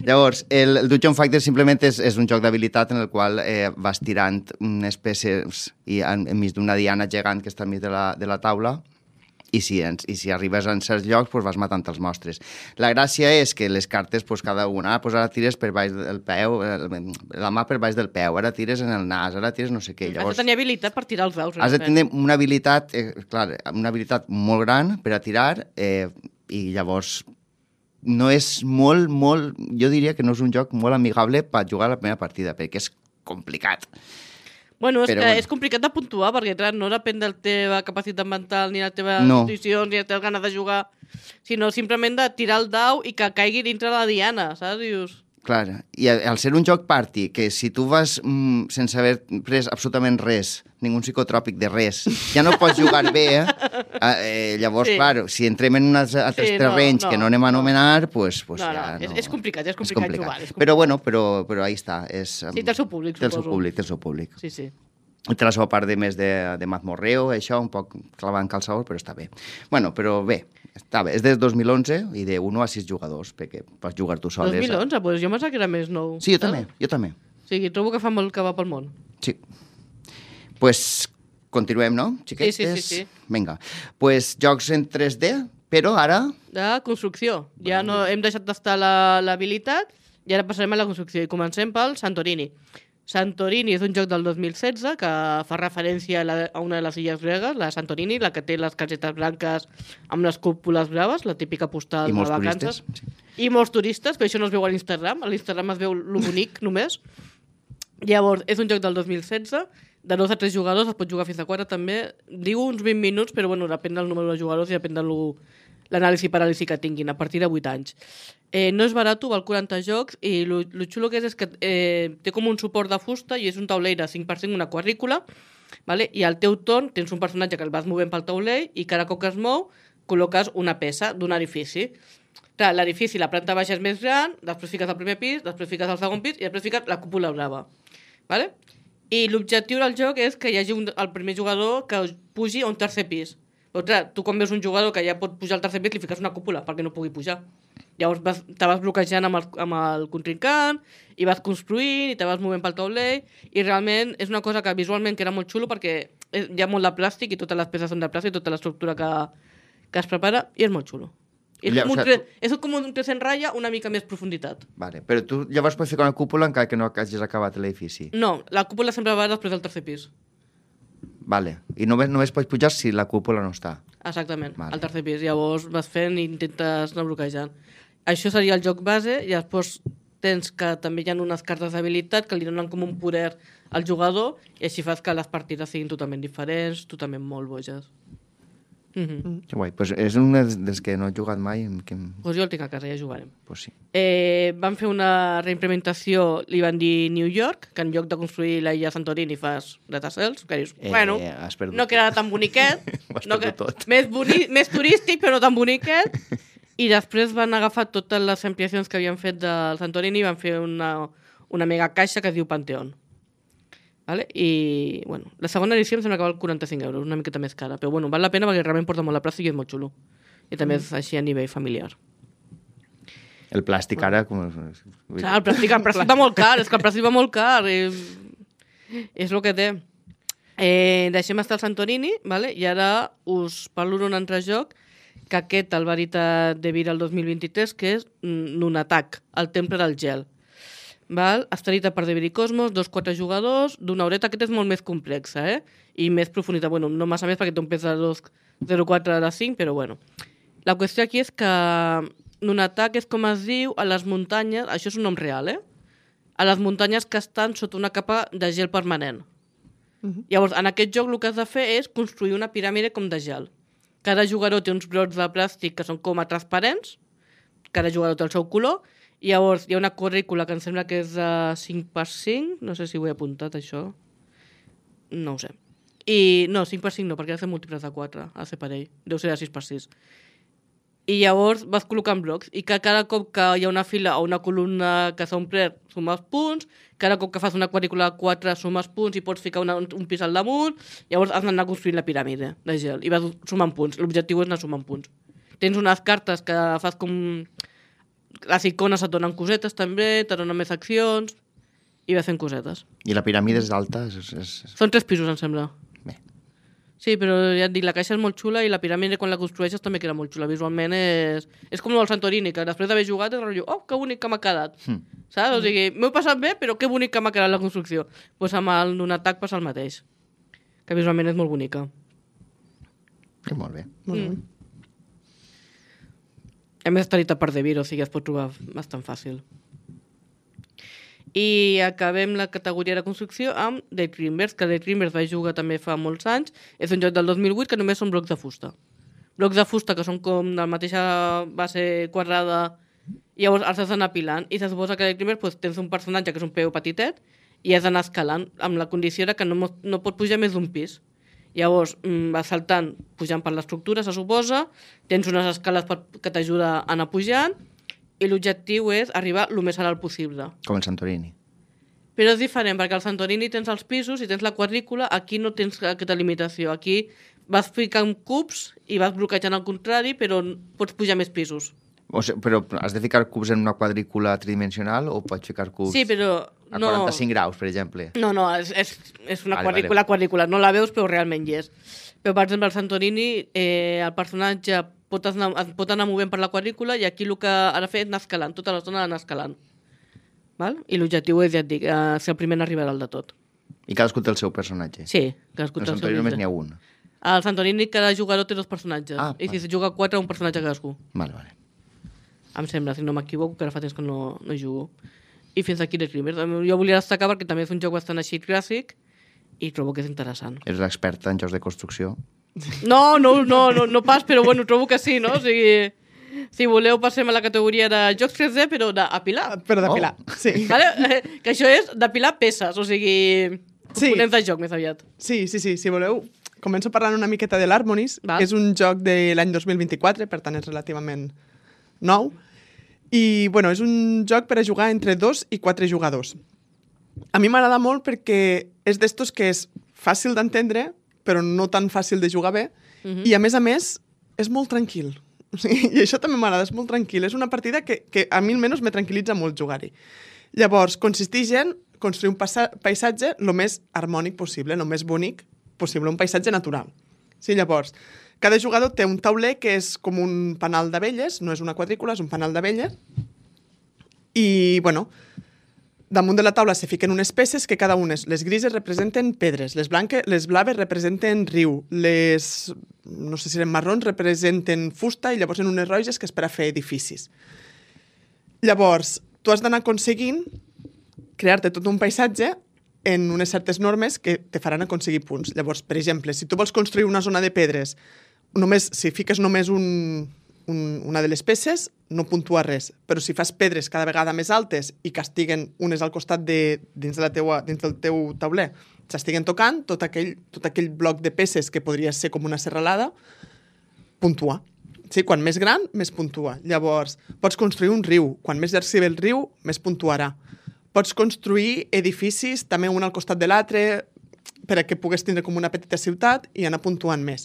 Llavors, el Dungeon Fighter simplement és un joc d'habilitat en el qual vas tirant unes peces i enmig d'una diana gegant que està enmig de la taula i si arribes a certs llocs pues vas matant els monstres. La gràcia és que les cartes, pues, cada una, pues ara tires per baix del peu, la mà per baix del peu, ara tires en el nas, ara tires no sé què. Llavors, Has de tenir habilitat per tirar els daus. has de tenir una habilitat, una habilitat molt gran per a tirar i llavors no és molt, jo diria que no és un joc molt amigable per jugar a la primera partida, perquè és complicat. Bueno, és Però que bueno. és complicat de puntuar, perquè clar, no depèn de la teva capacitat mental, ni de les teves No. condicions, ni de les teves ganes de jugar, sinó simplement de tirar el dau i que caigui dintre la diana, saps? Dius... Clar, i al ser un joc party, que si tu vas sense haver pres absolutament res, ningú psicotròpic de res, ja no pots jugar bé, llavors, Sí. clar, si entrem en uns altres terrenys que no anem a anomenar, pues ja no... És complicat, és complicat jugar. És complicat. Però bueno, però ahí està. Sí, té el seu públic, té el seu suposo. públic, té el seu públic. Sí, sí. I té la seva part de més de mazmorreo, això, un poc clavant calçador, però està bé. Bueno, però bé, està bé. És des 2011 i de 1 a 6 jugadors, perquè pots jugar tu sol. 2011, doncs jo pensava que era més nou. Sí, jo també. O sigui, trobo que fa molt que va pel món. Sí. Pues continuem, no, xiquetes? Sí. Vinga. Pues jocs en 3D, però ara... De construcció. Ja no hem deixat d'estar l'habilitat i ara passarem a la construcció. I comencem pel Santorini. Santorini és un joc del 2016 que fa referència a una de les illes gregues, la Santorini, la que té les casetes blanques amb les cúpules braves, la típica postal I molts de vacances. turistes. Sí. I molts turistes, però això no es veu a l'Instagram. A l'Instagram es veu lo bonic només. Llavors, és un joc del 2016, de 2 a 3 jugadors, es pot jugar fins a 4 també. Diu uns 20 minuts, però bueno, depèn del número de jugadors i depèn de l'anàlisi paràlisi que tinguin, a partir de 8 anys. No és barat, val 40 jocs, i lo xulo que és que té com un suport de fusta i és un taulell de 5x5, una quadrícula, vale? I al teu torn tens un personatge que el vas movent pel taulell i cada cop que es mou col·loques una peça d'un edifici. Clar, l'edifici, la planta baixa és més gran, després fiques el primer pis, després fiques el segon pis i després fiques la cúpula brava. Vale? I l'objectiu del joc és que hi hagi el primer jugador que pugi a un tercer pis. Però clar, tu quan veus un jugador que ja pot pujar al tercer pis li fiques una cúpula perquè no pugui pujar. Llavors te vas bloquejant amb el contrincant i vas construint i te vas movent pel taulell i realment és una cosa que visualment que era molt xulo perquè hi ha molt de plàstic i totes les peces són de plàstic, tota l'estructura que es prepara i és molt xulo. És com un 3 en ratlla, una mica més profunditat. Vale, però tu llavors pots ficar una cúpula encara que no hagis acabat l'edifici. No, la cúpula sempre va després del tercer pis. Vale, i només pots pujar si la cúpula no està. Exactament, Vale. al tercer pis. Llavors vas fent i intentes anar bloquejant. Això seria el joc base i després tens que també hi ha unes cartes d'habilitat que li donen com un poder al jugador i així fas que les partides siguin totalment diferents, totalment molt boges. Que guai, pues és un dels que no he jugat mai. Pues jo el tinc a casa, ja jugarem. Pues sí. Van fer una reimplementació, li van dir New York, que en lloc de construir la illa Santorini fas datacels, que dius, bueno, has perdut no queda tan boniquet, Ho has perdut tot. més turístic però no tan boniquet, i després van agafar totes les ampliacions que havien fet del Santorini i van fer una mega caixa que es diu Pantheon. Vale? I, bueno, la segona edició em sembla que val 45 euros, una miqueta més cara, però bueno, val la pena perquè realment porta molt la plàstic i és molt xulo. I també és així a nivell familiar. El plàstic ara... Clar, el plàstic va molt car, és que el plàstic va molt car. És el que té. Deixem estar el Santorini, vale? I ara us parlo d'un altre joc que aquest el va editar De Vir el 2023, que és Nunatak, el temple del gel. Val? Està editat per De Vir i Cosmos, 2-4 jugadors, d'una horeta. Aquest és molt més complexa, i més profunditat. Bueno, no massa més perquè té un pes de 2,04 de 5, però bueno. La qüestió aquí és que Nunatak és com es diu a les muntanyes, això és un nom real, a les muntanyes que estan sota una capa de gel permanent. Llavors, en aquest joc el que has de fer és construir una piràmide com de gel. Cada jugador té uns brots de plàstic que són com a transparents, cada jugador té el seu color, i llavors hi ha una quadrícula que em sembla que és de 5x5, no sé si ho he apuntat això, no ho sé. No, 5x5 no, perquè ha de ser múltiples de 4, ha de ser parell, deu ser de 6x6. I llavors vas col·locant blocs, i que cada cop que hi ha una fila o una columna que s'ha omplert, sumes punts, cada cop que fas una quadrícula de 4 sumes punts i pots ficar un pis al damunt, llavors has d'anar construint la piràmide de gel, i vas sumant punts. L'objectiu és anar sumant punts. Tens unes cartes que fas com... Les icones et donen cosetes també, te donen més accions, i vas fent cosetes. I la piràmide és alta? Són 3 pisos, em sembla. Bé. Sí, però ja et dic, la caixa és molt xula i la piràmide quan la construeixes també queda molt xula. Visualment és com el Santorini, que després d'haver jugat és rotllo, oh, que bonic que m'ha quedat. Saps? O sigui, m'ho he passat bé, però que bonic que m'ha quedat la construcció. Doncs amb el Nunatak passa el mateix, que visualment és molt bonica. Molt bé. Molt bé. A més està editat per De Vir, o sigui, es pot trobar bastant fàcil. I acabem la categoria de construcció amb Daydreamers, que Daydreamers vaig jugar també fa molts anys. És un joc del 2008 que només són blocs de fusta. Blocs de fusta que són com de la mateixa base quadrada i llavors els has d'anar apilant. I se suposa que Daydreamers doncs, tens un personatge que és un peu petitet i has d'anar escalant amb la condició que no pot pujar més d'un pis. Llavors vas saltant, pujant per l'estructura, se suposa, tens unes escales que t'ajuda a anar pujant i l'objectiu és arribar el més alt possible. Com el Santorini. Però és diferent, perquè al Santorini tens els pisos i tens la quadrícula, aquí no tens aquesta limitació. Aquí vas ficant cubs i vas bloquejant al contrari, però pots pujar més pisos. O sigui, però has de ficar cubs en una quadrícula tridimensional o pots ficar cubs sí, però a 45 graus, per exemple? No, és una quadrícula, no la veus, però realment hi és. Però, per exemple, al Santorini, el personatge pot anar movent per la quadrícula i aquí el que ha de fer és anar escalant, tota l'estona anar escalant. Val? I l'objectiu és, ja et dic, ser el primer en arribar al de tot. I cadascú té el seu personatge? Sí, cadascú té el seu Santorini només n'hi ha un? Al Santorini cada jugador té 2 personatges. I si se juga 4, un personatge cadascú. Vale. Em sembla, si no m'equivoco, que ara fa temps que no jugo. I fins aquí Daydreamers. Jo volia destacar perquè també és un joc bastant així clàssic i trobo que és interessant. Ets l'experta en jocs de construcció? No pas, però bueno, trobo que sí, no? O sigui, si voleu passem a la categoria de jocs 3D, però d'apilar. Però d'apilar, sí. Vale? Que això és d'apilar peces, o sigui, components de joc més aviat. Sí, si voleu, començo parlant una miqueta de l'Harmonies, que és un joc de l'any 2024, per tant és relativament nou, i bueno, és un joc per a jugar entre 2 i 4 jugadors. A mi m'agrada molt perquè és d'estos que és fàcil d'entendre, però no tan fàcil de jugar bé, i a més, és molt tranquil. I això també m'agrada, és molt tranquil. És una partida que a mi almenys me tranquil·litza molt jugar-hi. Llavors, consisteix en construir un paisatge el més harmònic possible, el més bonic possible, un paisatge natural. Sí, llavors, cada jugador té un tauler que és com un panal d'abelles, no és una quadrícula, és un panal d'abelles, i, bueno, damunt de la taula se fiquen unes peces que cada una, les grises representen pedres, les blaves representen riu, les, no sé si eren marrons, representen fusta i llavors en unes roges que és per a fer edificis. Llavors, tu has d'anar aconseguint crear-te tot un paisatge en unes certes normes que te faran aconseguir punts. Llavors, per exemple, si tu vols construir una zona de pedres, si fiques només una de les peces, no puntua res. Però si fas pedres cada vegada més altes i que estiguen unes al costat dins del teu tauler, s'estiguen tocant, tot aquell bloc de peces que podria ser com una serralada, puntua. Sí, quan més gran, més puntua. Llavors, pots construir un riu. Quan més llarg sigui el riu, més puntuarà. Pots construir edificis, també un al costat de l'altre, perquè pugues tindre com una petita ciutat i anar puntuant més.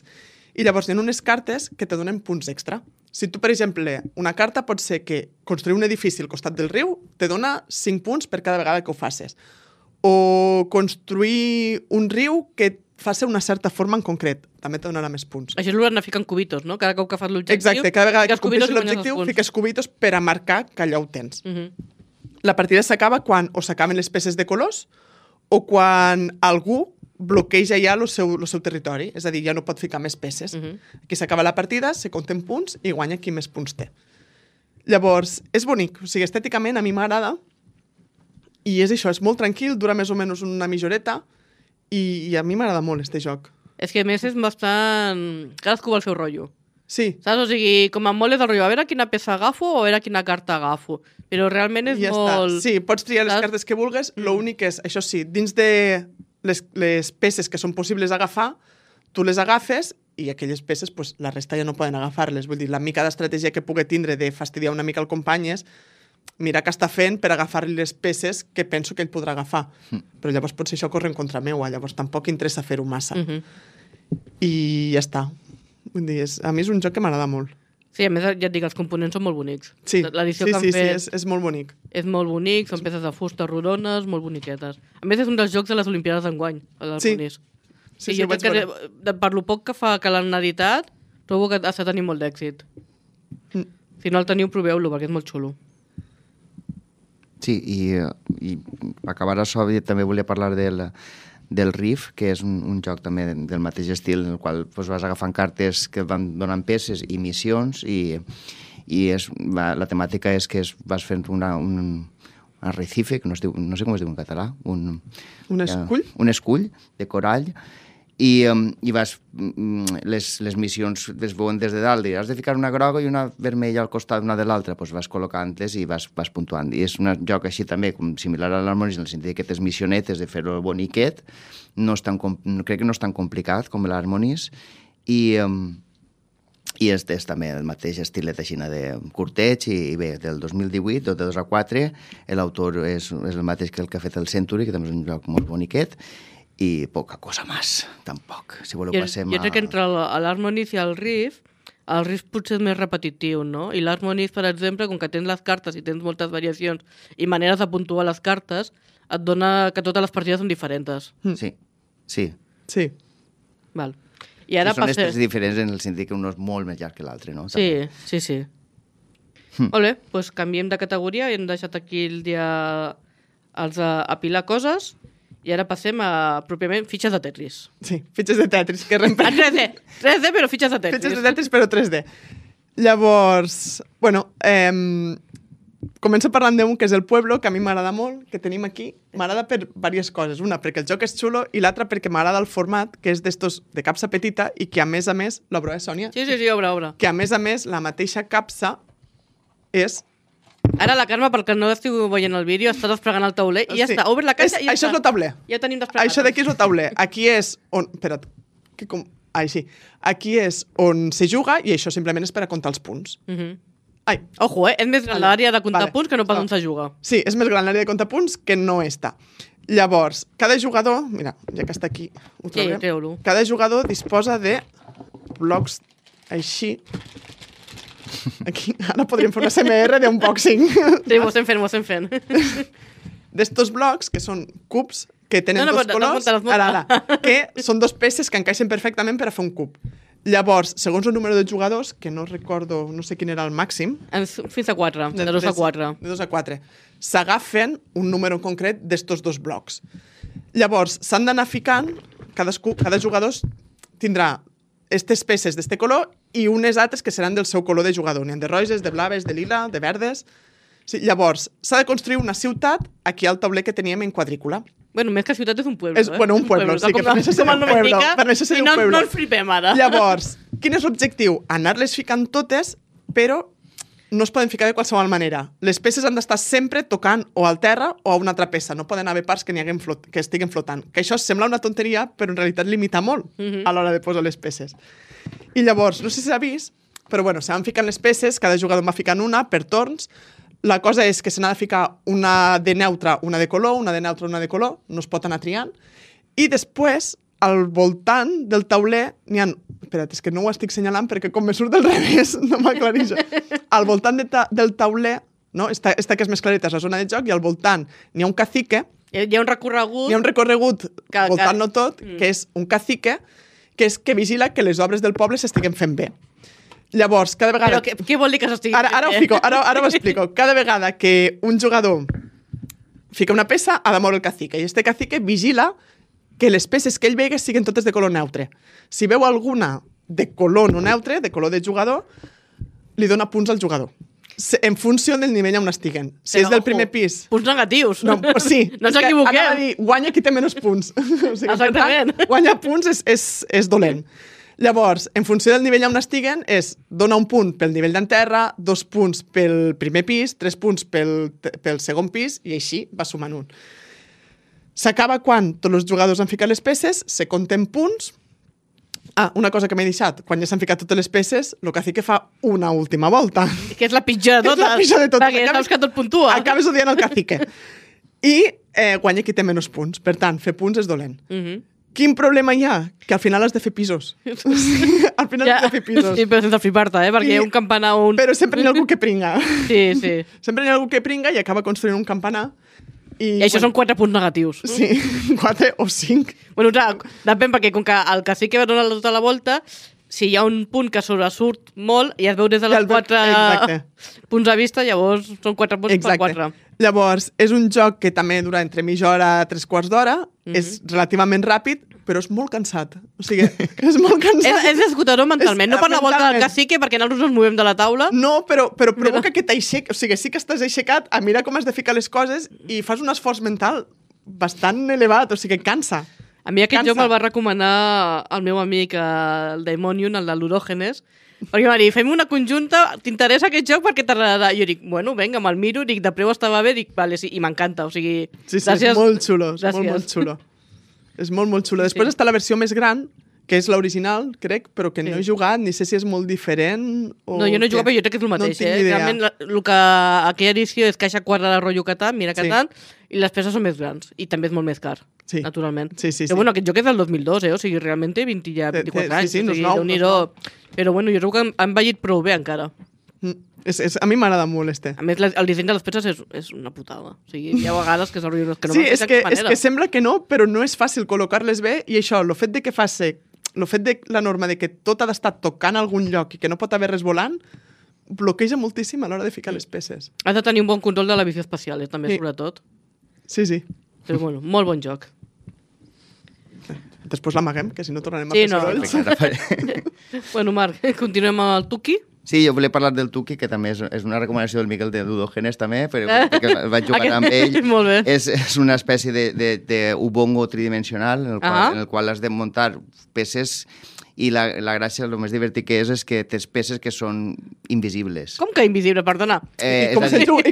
I llavors hi ha unes cartes que te donen punts extra. Si tu, per exemple, una carta pot ser que construir un edifici al costat del riu te dona 5 punts per cada vegada que ho facis. O construir un riu que faci una certa forma en concret. També te donarà més punts. Això és l'hora d'anar ficant cubitos, no? Cada cop que fas l'objectiu... Exacte, cada vegada que fiques cubitos compleixes i guanyes l'objectiu, els punts. fiques cubitos per a marcar que allò ho tens. Mhm. La partida s'acaba quan o s'acaben les peces de colors o quan algú bloqueja ja el seu territori. És a dir, ja no pot ficar més peces. Aquí s'acaba la partida, se compten punts i guanya qui més punts té. Llavors, és bonic. O sigui, estèticament a mi m'agrada i és això, és molt tranquil, dura més o menys una mitjoreta i a mi m'agrada molt, este joc. És que a més és bastant... Cadascú vol el seu rotllo. Sí. Saps? O sigui, com a molt és el rotllo, a veure quina peça agafo o a veure quina carta agafo. Però realment és I ja molt... està. Sí, pots triar les Saps? cartes que vulguis. L'únic és, això sí, dins de les peces que són possibles agafar, tu les agafes i aquelles peces, pues, la resta ja no poden agafar-les. Vull dir, la mica d'estratègia que pugui tindre de fastidiar una mica el company és mirar què està fent per agafar-li les peces que penso que ell podrà agafar. Però llavors potser això corre en contra meua, llavors tampoc interessa fer-ho massa. I ja està. Vull dir, a mi és un joc que m'agrada molt. Sí, a més, ja et dic, els components són molt bonics. Sí, L'edició sí, que han sí, fet és molt bonic. és molt bonic, són peces de fusta rodones, molt boniquetes. A més, és un dels jocs de les Olimpiades d'enguany, l'Harmonis. Sí, jo ho vaig crec veure. que, per lo poc que l'han editat, trobo que està tenint molt d'èxit. Si no el teniu, proveu-lo, perquè és molt xulo. Sí, i acabar això, també volia parlar del Riff, que és un joc també del mateix estil, en el qual doncs, vas agafant cartes que van donant peces i missions, i la temàtica és que vas fent un arrecife, que no sé com es diu en català, un escull? Un escull de corall, i vas, les missions es veuen des de dalt, i has de ficar una groga i una vermella al costat una de l'altra, doncs vas col·locant-les i vas puntuant. I és un joc així també, com similar a l'Harmonis, en el sentit que tens missionetes de fer-ho boniquet, crec que no és tan complicat com l'Harmonis, i és també el mateix estilet així de curteig, i bé, del 2018, de 2 a 4, l'autor és el mateix que el que ha fet el Century, que també és un joc molt boniquet, i poca cosa més, tampoc. Si voleu passem jo crec que entre l'Harmonis i el Riff potser és més repetitiu, no? I l'Harmonis, per exemple, com que tens les cartes i tens moltes variacions i maneres de puntuar les cartes, et dona que totes les partides són diferents. Sí. Val. I ara són estils diferents en el sentit que un és molt més llarg que l'altre, no? Sí. Molt bé, doncs canviem de categoria i hem deixat aquí el dia els apilar coses. I ara passem a, pròpiament, fitxes de Tetris. Sí, fitxes de Tetris, que A 3D, però fitxes de Tetris. Fitxes de Tetris, però 3D. Llavors, bueno, començo parlant d'un que és el Pueblo, que a mi m'agrada molt, que tenim aquí. M'agrada per diverses coses. Una, perquè el joc és xulo, i l'altra, perquè m'agrada el format, que és d'estos de capsa petita, i que a més, l'obro, Sònia? Sí, obre. Que a més, la mateixa capsa és... Ara la Carme, perquè no estiu veient el vídeo, està desplegant el tauler i ja està. Obre la caixa i ja això està. és el tauler. Ja tenim desplegat. Això d'aquí és el tauler. Aquí és on... Espera't. Sí. Aquí és on se juga i això simplement és per a comptar els punts. Ai. Ojo, és més gran l'àrea de comptar punts que no pas on se juga. Sí, és més gran l'àrea de comptar punts que no està. Llavors, cada jugador... Mira, ja que està aquí, ho traurem. Sí, treu-lo. Cada jugador disposa de blocs així. Aquí, ara podríem fer una CMR d'unboxing. Sí, ho estem fent. D'estos blocs, que són cubs, que tenen dos colors, ara, que són dos peces que encaixen perfectament per a fer un cub. Llavors, segons el número de jugadors, que no recordo, no sé quin era el màxim... Fins a 4, de 2 a 4. De 2 a 4. S'agafen un número concret d'estos dos blocs. Llavors, s'han d'anar ficant, cada jugador tindrà aquestes peces d'este color i unes altres que seran del seu color de jugador. N'hi ha de roges, de blaves, de lila, de verdes... Sí, llavors, s'ha de construir una ciutat aquí al tauler que teníem en quadrícula. Bueno, més que ciutat és un pueblo, Bueno, un pueblo, sí, que per això seria un pueblo. Per això seria un pueblo. No ens flipem ara. Llavors, quin és l'objectiu? Anar-les ficant totes, però no es poden ficar de qualsevol manera. Les peces han d'estar sempre tocant o al terra o a una altra peça. No poden haver parts que estiguen flotant. Que això sembla una tonteria, però en realitat limita molt a l'hora de posar les peces. I llavors, no sé si s'ha vist, però bueno, se van ficant les peces, cada jugador va ficant una per torns. La cosa és que se n'ha de ficar una de neutra, una de color, una de neutra, una de color, no es pot anar triant. I després, al voltant del tauler, n'hi ha... Espera't, és que no ho estic senyalant perquè com me surt del revés, no m'aclareixo. Al voltant del tauler no? Esta que és més clareta és la zona de joc i al voltant n'hi ha un cacique, Hi ha un recorregut... hi ha un recorregut voltant-lo tot, que és un cacique, que és que vigila que les obres del poble s'estiguen fent bé. Llavors, cada vegada... Però què vol dir que s'estigui Ara ho fico, ara ho explico. Cada vegada que un jugador fica una peça, ha de moure el cacique. I este cacique vigila que les peces que ell vegi siguin totes de color neutre. Si veu alguna de color no neutre, de color de jugador, li dona punts al jugador. En funció del nivell on estiguen. Si és del primer pis... Punts negatius. No, sí. No ens equivoquem. Anava a dir, guanya qui té menys punts. O sigui, Exactament. Per tant, guanyar punts és dolent. Llavors, en funció del nivell on estiguen, és dona un punt pel nivell d'enterra, 2 punts pel primer pis, 3 punts pel segon pis, i així va sumant un. S'acaba quan tots els jugadors han ficat les peces, se compten punts. Una cosa que m'he deixat. Quan ja s'han ficat totes les peces, el cacique fa una última volta. Que és la pitjor de totes. És la pitjor de totes. Perquè saps que tot puntua. Acabes odiant el cacique. I guanya qui té menys punts. Per tant, fer punts és dolent. Quin problema hi ha? Que al final has de fer pisos. Al final has de fer pisos. Sí, però sense flipar-te, perquè hi ha un campanar... Però sempre hi ha algú que pringa. Sí, sí. Sempre hi ha algú que pringa i acaba construint un campanar. I això són 4 punts negatius. Sí, 4 o 5. Bueno, clar, depèn, perquè com que el cacique va donar tota la volta, si hi ha un punt que sobresurt molt i es veu des de les 4 punts de vista, llavors són 4 punts per 4. Llavors, és un joc que també dura entre mitja hora a 3/4 d'hora, és relativament ràpid, però és molt cansat. O sigui, és molt cansat. És esgotador mentalment, no per la volta del cacique, perquè nosaltres ens movem de la taula. No, però provoca que t'aixequi. O sigui, sí que estàs aixecat a mirar com has de ficar les coses i fas un esforç mental bastant elevat, o sigui, cansa. A mi aquest joc me'l va recomanar el meu amic, el Daimonium, el de l'Urògenes, perquè va dir, fem una conjunta, t'interessa aquest joc perquè t'agradarà. Jo dic, bueno, vinga, me'l miro, dic, de preu estava bé, dic, vale, sí, i m'encanta, o sigui... Sí, gràcies. És molt xulo, és molt xulo. És molt xulo. Després està la versió més gran, que és l'original, crec, però que no he jugat, ni sé si és molt diferent o... No, jo no he jugat, però jo crec que és el mateix, Realment, el que aquella edició és caixa quadrada rotllo Catan, mira Catan, i les peces són més grans, i també és molt més car, naturalment. Però bueno, aquest joc és del 2002, o sigui, realment té 24 anys, o sigui, Déu-n'hi-do. Però bueno, jo crec que han envellit prou bé encara. A mi m'agrada molt, A més, el disseny de les peces és una putada. O sigui, hi ha vegades que s'arriben que no sí, és que sembla que no, però no és fàcil col·locar-les bé, i això, el fet de que el fet de la norma de que tot ha d'estar tocant a algun lloc i que no pot haver res volant, bloqueja moltíssim a l'hora de ficar les peces. Has de tenir un bon control de la visió espacial, també, sobretot. Sí. Però bueno, molt bon joc. Després l'amaguem, que si no tornarem a fer sorolls. Bueno, Marc, continuem amb el Tuki. Sí, jo volia parlar del Tuki, que també és una recomanació del Miquel de Ludògenes, també, perquè vaig jugar amb ell. Molt bé. És una espècie de ubongo tridimensional en el qual has de muntar peces i la gràcia, el més divertit que és que tens peces que són invisibles. Com que invisible, perdona? I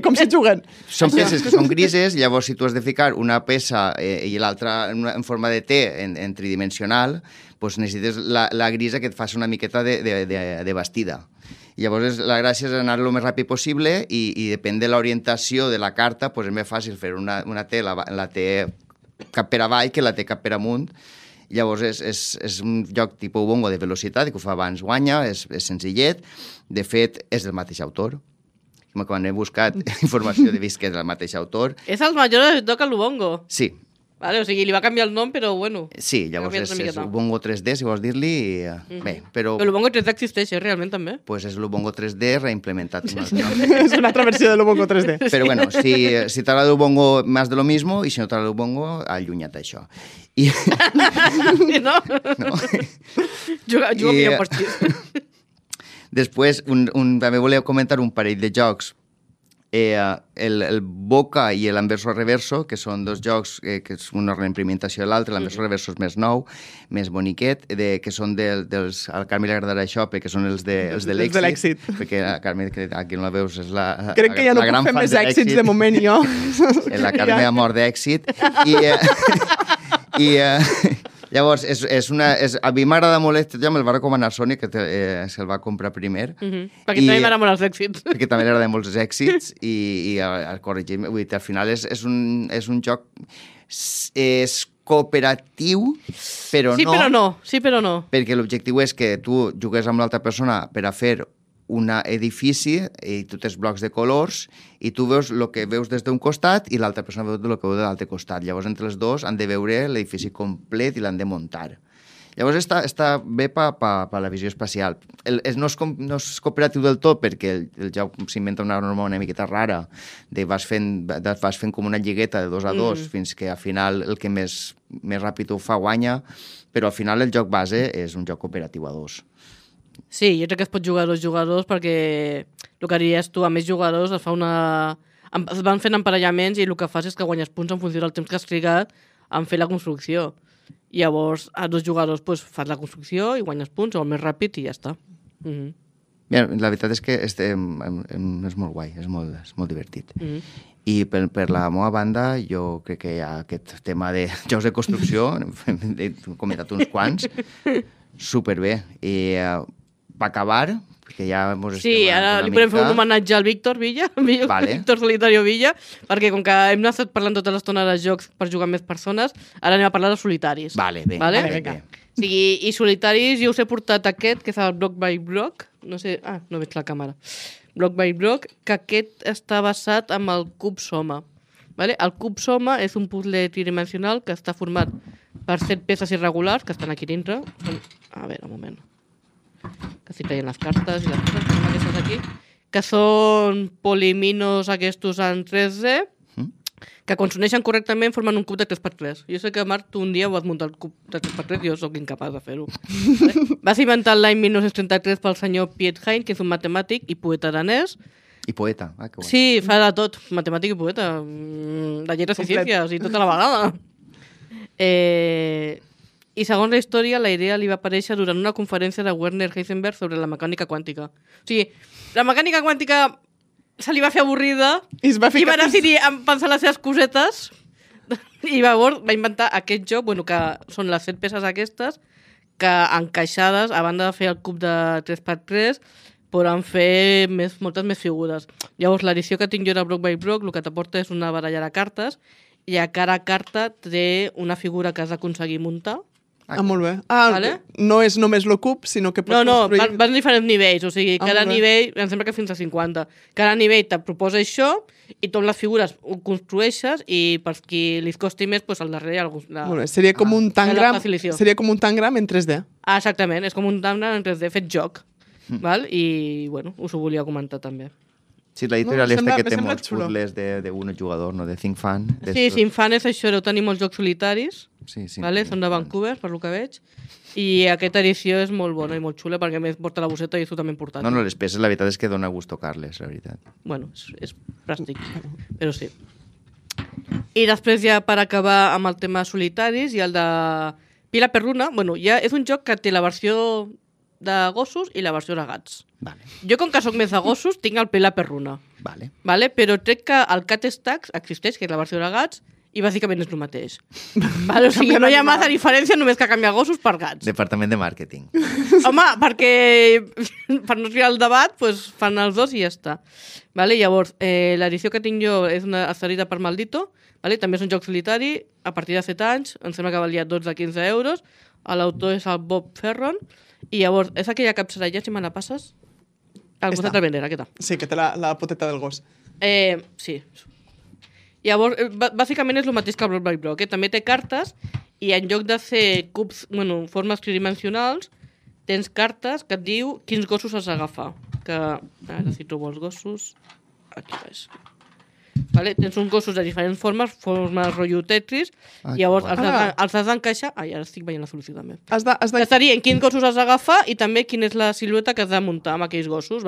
com se juguen? Són peces que són grises, llavors si tu has de ficar una peça i l'altra en forma de T en tridimensional, doncs necessites la grisa que et faci una miqueta de bastida. Llavors, la gràcia és anar el més ràpid possible i depèn de l'orientació de la carta, doncs és més fàcil fer una T, la T cap per avall que la T cap per amunt. Llavors, és un joc tipus bongo de velocitat, que ho fa abans guanya, és senzillet. De fet, és del mateix autor. Quan he buscat informació he vist que és del mateix autor. És el major de toca l'Ubongo. Sí. Vale, o sigui, li va canviar el nom, però bueno. Sí, llavors és Ubongo 3D, si vols dir-li. Bé, però... Però l'Ubongo 3D existeix, realment, també? Pues és l'Ubongo 3D reimplementat. És una altra versió de l'Ubongo 3D. Però bueno, si t'agrada l'Ubongo más de lo mismo, i si no t'agrada l'Ubongo, allunya't això. No? Juga millor partit. Després, també volia comentar un parell de jocs. El Boca i l'Anverso Reverso, que són dos jocs que és una reimplementació de l'altre. L'Anverso Reverso és més nou, més boniquet, que són dels... Al Carme li agradarà això, perquè són els de l'èxit. Perquè a Carme, que aquí no la veus, és la gran fan de l'èxit. Crec que ja no puc fer més èxits de moment, jo. La Carme ha mort d'èxit. Llavors, a mi m'agrada molt aquest joc, me'l va recomanar Sony, que se'l va comprar primer. Perquè també m'agrada molt els èxits. Perquè també li agraden molts els èxits i corregim, vull dir, al final és un joc cooperatiu, però no. Sí, però no. Perquè l'objectiu és que tu jugues amb l'altra persona per a fer un edifici i tu tens blocs de colors i tu veus el que veus des d'un costat i l'altra persona veu el que veu de l'altre costat. Llavors, entre els dos han de veure l'edifici complet i l'han de muntar. Llavors, està bé per la visió espacial. No és cooperatiu del tot perquè el joc s'inventa una norma una miqueta rara de vas fent com una lligueta de 2 a 2 fins que al final el que més ràpid ho fa guanya, però al final el joc base és un joc cooperatiu a 2. Sí, jo crec que es pot jugar a 2 jugadors perquè el que diries tu, a més jugadors es van fent emparellaments i el que fas és que guanyes punts en funció del temps que has trigat en fer la construcció. Llavors, a 2 jugadors fas la construcció i guanyes punts o el més ràpid i ja està. Mira, la veritat és que és molt guai, és molt divertit. I per la meva banda, jo crec que hi ha aquest tema de jocs de construcció, he comentat uns quants, superbé. I per acabar, que ja mos estem... Sí, ara li podem fer un homenatge al Víctor Villa, Víctor Solitario Villa, perquè com que hem estat parlant tota l'estona de jocs per jugar amb més persones, ara anem a parlar de solitaris. Vale, bé. Sí, i solitaris, jo us he portat aquest, que és el Block by Block, no sé... no veig la càmera. Block by Block, que aquest està basat en el cub Soma. Vale? El cub Soma és un puzzle tridimensional que està format per 7 peces irregulars, que estan aquí dintre. A veure, un moment. Que estic traient les cartes i les coses que són aquestes aquí, que són poliminos aquestos en 3D, que quan s'uneixen correctament formen un cub de 3x3. Jo sé que, Marc, tu un dia ho has muntat el cub de 3x3 i jo sóc incapaç de fer-ho. Va ser inventat l'any 1933 pel senyor Piet Hein, que és un matemàtic i poeta danès. I poeta, que guai. Sí, fa de tot, matemàtic i poeta. De lletres i ciències i tota la vegada. I segons la història, la idea li va aparèixer durant una conferència de Werner Heisenberg sobre la mecànica quàntica. O sigui, la mecànica quàntica se li va fer avorrida i va decidir pensar les seves cosetes i llavors va inventar aquest joc, que són les 7 peces aquestes, que encaixades, a banda de fer el cub de 3x3, poden fer moltes més figures. Llavors, l'edició que tinc jo de Block by Block, el que t'aporta és una baralla de cartes i a cada carta té una figura que has d'aconseguir muntar. Molt bé. Vale? No és només el cub, sinó que pots construir... van diferents nivells, o sigui, cada nivell, em sembla que fins a 50. Cada nivell te proposa això i tu amb les figures ho construeixes i per qui li costi més, al darrere hi ha algú... Molt bé, seria com un tangram en 3D. Exactament, és com un tangram en 3D fet joc. Val? I, us ho volia comentar també. Sí, l'editorial que té molts puzzles d'un jugador, no? De Think Fun. Sí, Think Fun és això, deu tenir molts jocs solitaris. Sí. Vale? Són de Vancouver, per lo que veig. I aquesta edició és molt bona i molt xula perquè a més porta la bosseta i és totalment portàtil. No, les peces la veritat és que dona gust tocar-les, la veritat. És plàstic, però sí. I després ja per acabar amb el tema solitaris i el de Pila Perruna, ja és un joc que té la versió de gossos i la versió de gats. Vale. Jo, com que soc més de gossos, tinc el Pila Perruna. Vale. Però crec que el Cat Stacks existeix, que és la versió de gats, i bàsicament és el mateix. O sigui, no hi ha massa diferència, només que canviar gossos per gats. Departament de màrqueting. Home, perquè per no triar el debat, fan els dos i ja està. Llavors, l'edició que tinc jo és una accedida per Maldito, també és un joc solitari, a partir de 7 anys, em sembla que valia 12-15 euros, l'autor és el Bob Ferron, i llavors, és aquella capçarella, si me la passes? El gosset del Vendera, què tal? Sí, que té la poteta del gos. Sí. Llavors, bàsicament és el mateix que el Block by Block. També té cartes i en lloc de fer cubs, formes tridimensionals, tens cartes que et diu quins gossos has d'agafar. Ara si trobo els gossos... Aquí veus. Tens uns gossos de diferents formes rotllo Tetris, i llavors els has d'encaixar... Ara estic veient la solució també. Estarien quins gossos has d'agafar i també quina és la silueta que has de muntar amb aquells gossos, i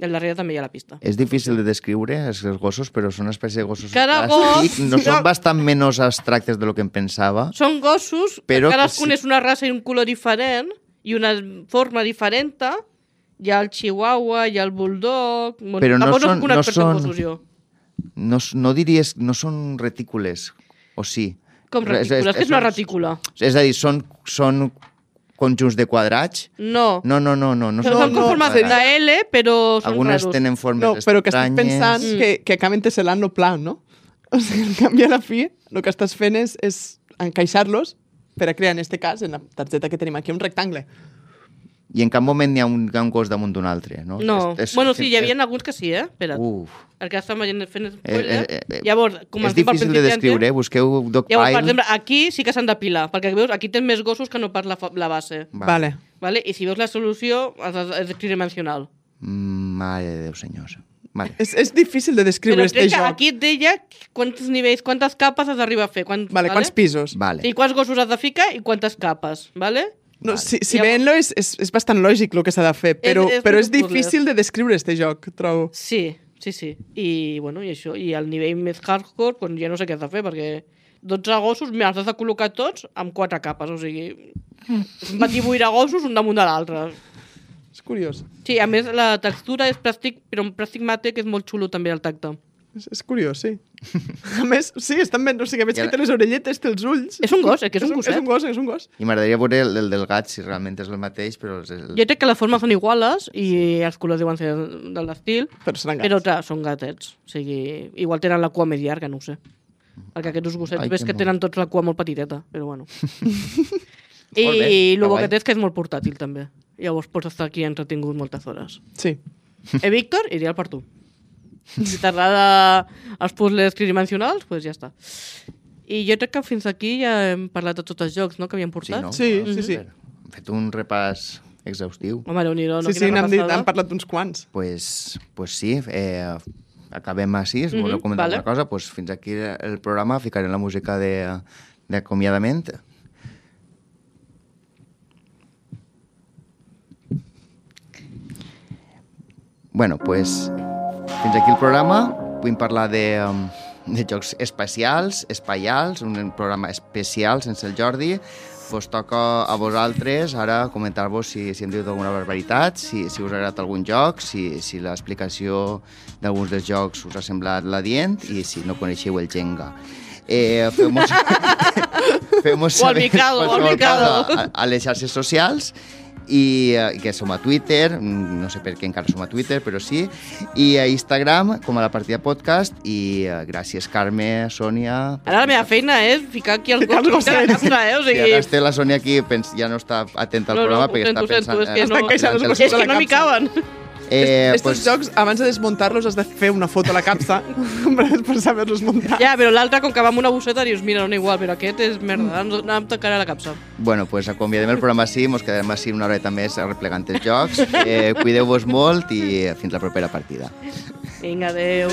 al darrere també hi ha la pista. És difícil de descriure, els gossos, però són una espècie de gossos plàstics. No són bastant menys abstractes de lo que em pensava. Són gossos, cadascun és una raça i un color diferent i una forma diferent. Hi ha el chihuahua, hi ha el bulldog... Però no diries... No són retícules, o sí? Com retícules? Què és una retícula? És a dir, són conjunts de quadrats? No. No. Són com formes de L, però són algunes raros. Tenen formes estranyes. Però que estic pensant que acaben tesselant el plan, no? O sigui, en canvi, a la fi, el que estàs fent és encaixar-los per a crear, en aquest cas, en la targeta que tenim aquí, un rectangle. I en cap moment hi ha un gos damunt d'un altre, no? No. Bueno, sí, hi havia alguns que sí, Espera't. Perquè estan fent spoiler. Llavors, és difícil de descriure, busqueu Dogpile. Llavors, per exemple, aquí sí que s'han depilar, perquè veus, aquí tens més gossos que no pas la base. Vale. I si veus la solució, és tridimensional. Mare de Déu, senyors. Vale. És difícil de descriure però este crec que joc. aquí et deia quants nivells, quantes capes has d'arribar a fer. Quants pisos. Vale. I quants gossos has de ficar i quantes capes, vale? No, si veient-lo és bastant lògic el que s'ha de fer, però és difícil de descriure este joc, trobo. Sí. I això, i al nivell més hardcore, doncs ja no sé què has de fer, perquè 12 gossos, els has de col·locar tots amb 4 capes, o sigui, un batibull de gossos un damunt de l'altre. És curiós. Sí, a més la textura és plàstic, però un plàstic mate que és molt xulo també al tacte. És curiós, sí. A més, sí, estan ben... O sigui, veig que té les orelletes, té els ulls... És un gos, que és un gosset. És un gos. I m'agradaria veure el del gat, si realment és el mateix, però... Jo crec que les formes són iguales i els colors deuen ser de l'estil, però clar, són gatets. O sigui, igual tenen la cua més llarga, no ho sé. Perquè aquests gossets ves que tenen tots la cua molt petiteta, però bueno. I el bo que té és que és molt portàtil, també. Llavors pots estar aquí entretingut moltes hores. Sí. Víctor, ideal per tu. Si t'agrada els puzzles tridimensionals, doncs ja està. I jo crec que fins aquí ja hem parlat de tots els jocs, no?, que havíem portat. Sí. Hem fet un repàs exhaustiu. Home, Déu-n'hi-do, no? Sí, n'hem parlat d'uns quants. Pues sí, acabem així, si voleu comentar alguna cosa, pues fins aquí el programa, ficarem la música d'acomiadament. Bueno, pues fins aquí el programa. Vull parlar de jocs espaials, un programa especial sense el Jordi. Vos toca a vosaltres ara comentar-vos si hem dit alguna barbaritat, si us ha agradat algun joc, si l'explicació d'alguns dels jocs us ha semblat l'adient i si no coneixeu el Jenga. Feu-mos saber a les xarxes socials i que som a Twitter, no sé per què encara som a Twitter, però sí, i a Instagram, com a la partida podcast, i gràcies, Carme, Sònia... Ara la meva feina és ficar aquí els gossets de la capsa, o sigui... Si ara té la Sònia aquí, ja no està atenta al programa, perquè està pensant... És que no m'hi caben. Estos jocs, abans de desmuntar-los, has de fer una foto a la capsa per saber-los muntar. Ja, però l'altre, com que va amb una bosseta, dius, mira, no igual, però aquest és merda, no em tocarà la capsa. Bueno, pues acomiadem el programa així, mos quedarem així una horeta més replegant els jocs. Cuideu-vos molt i fins la propera partida. Vinga, adeu.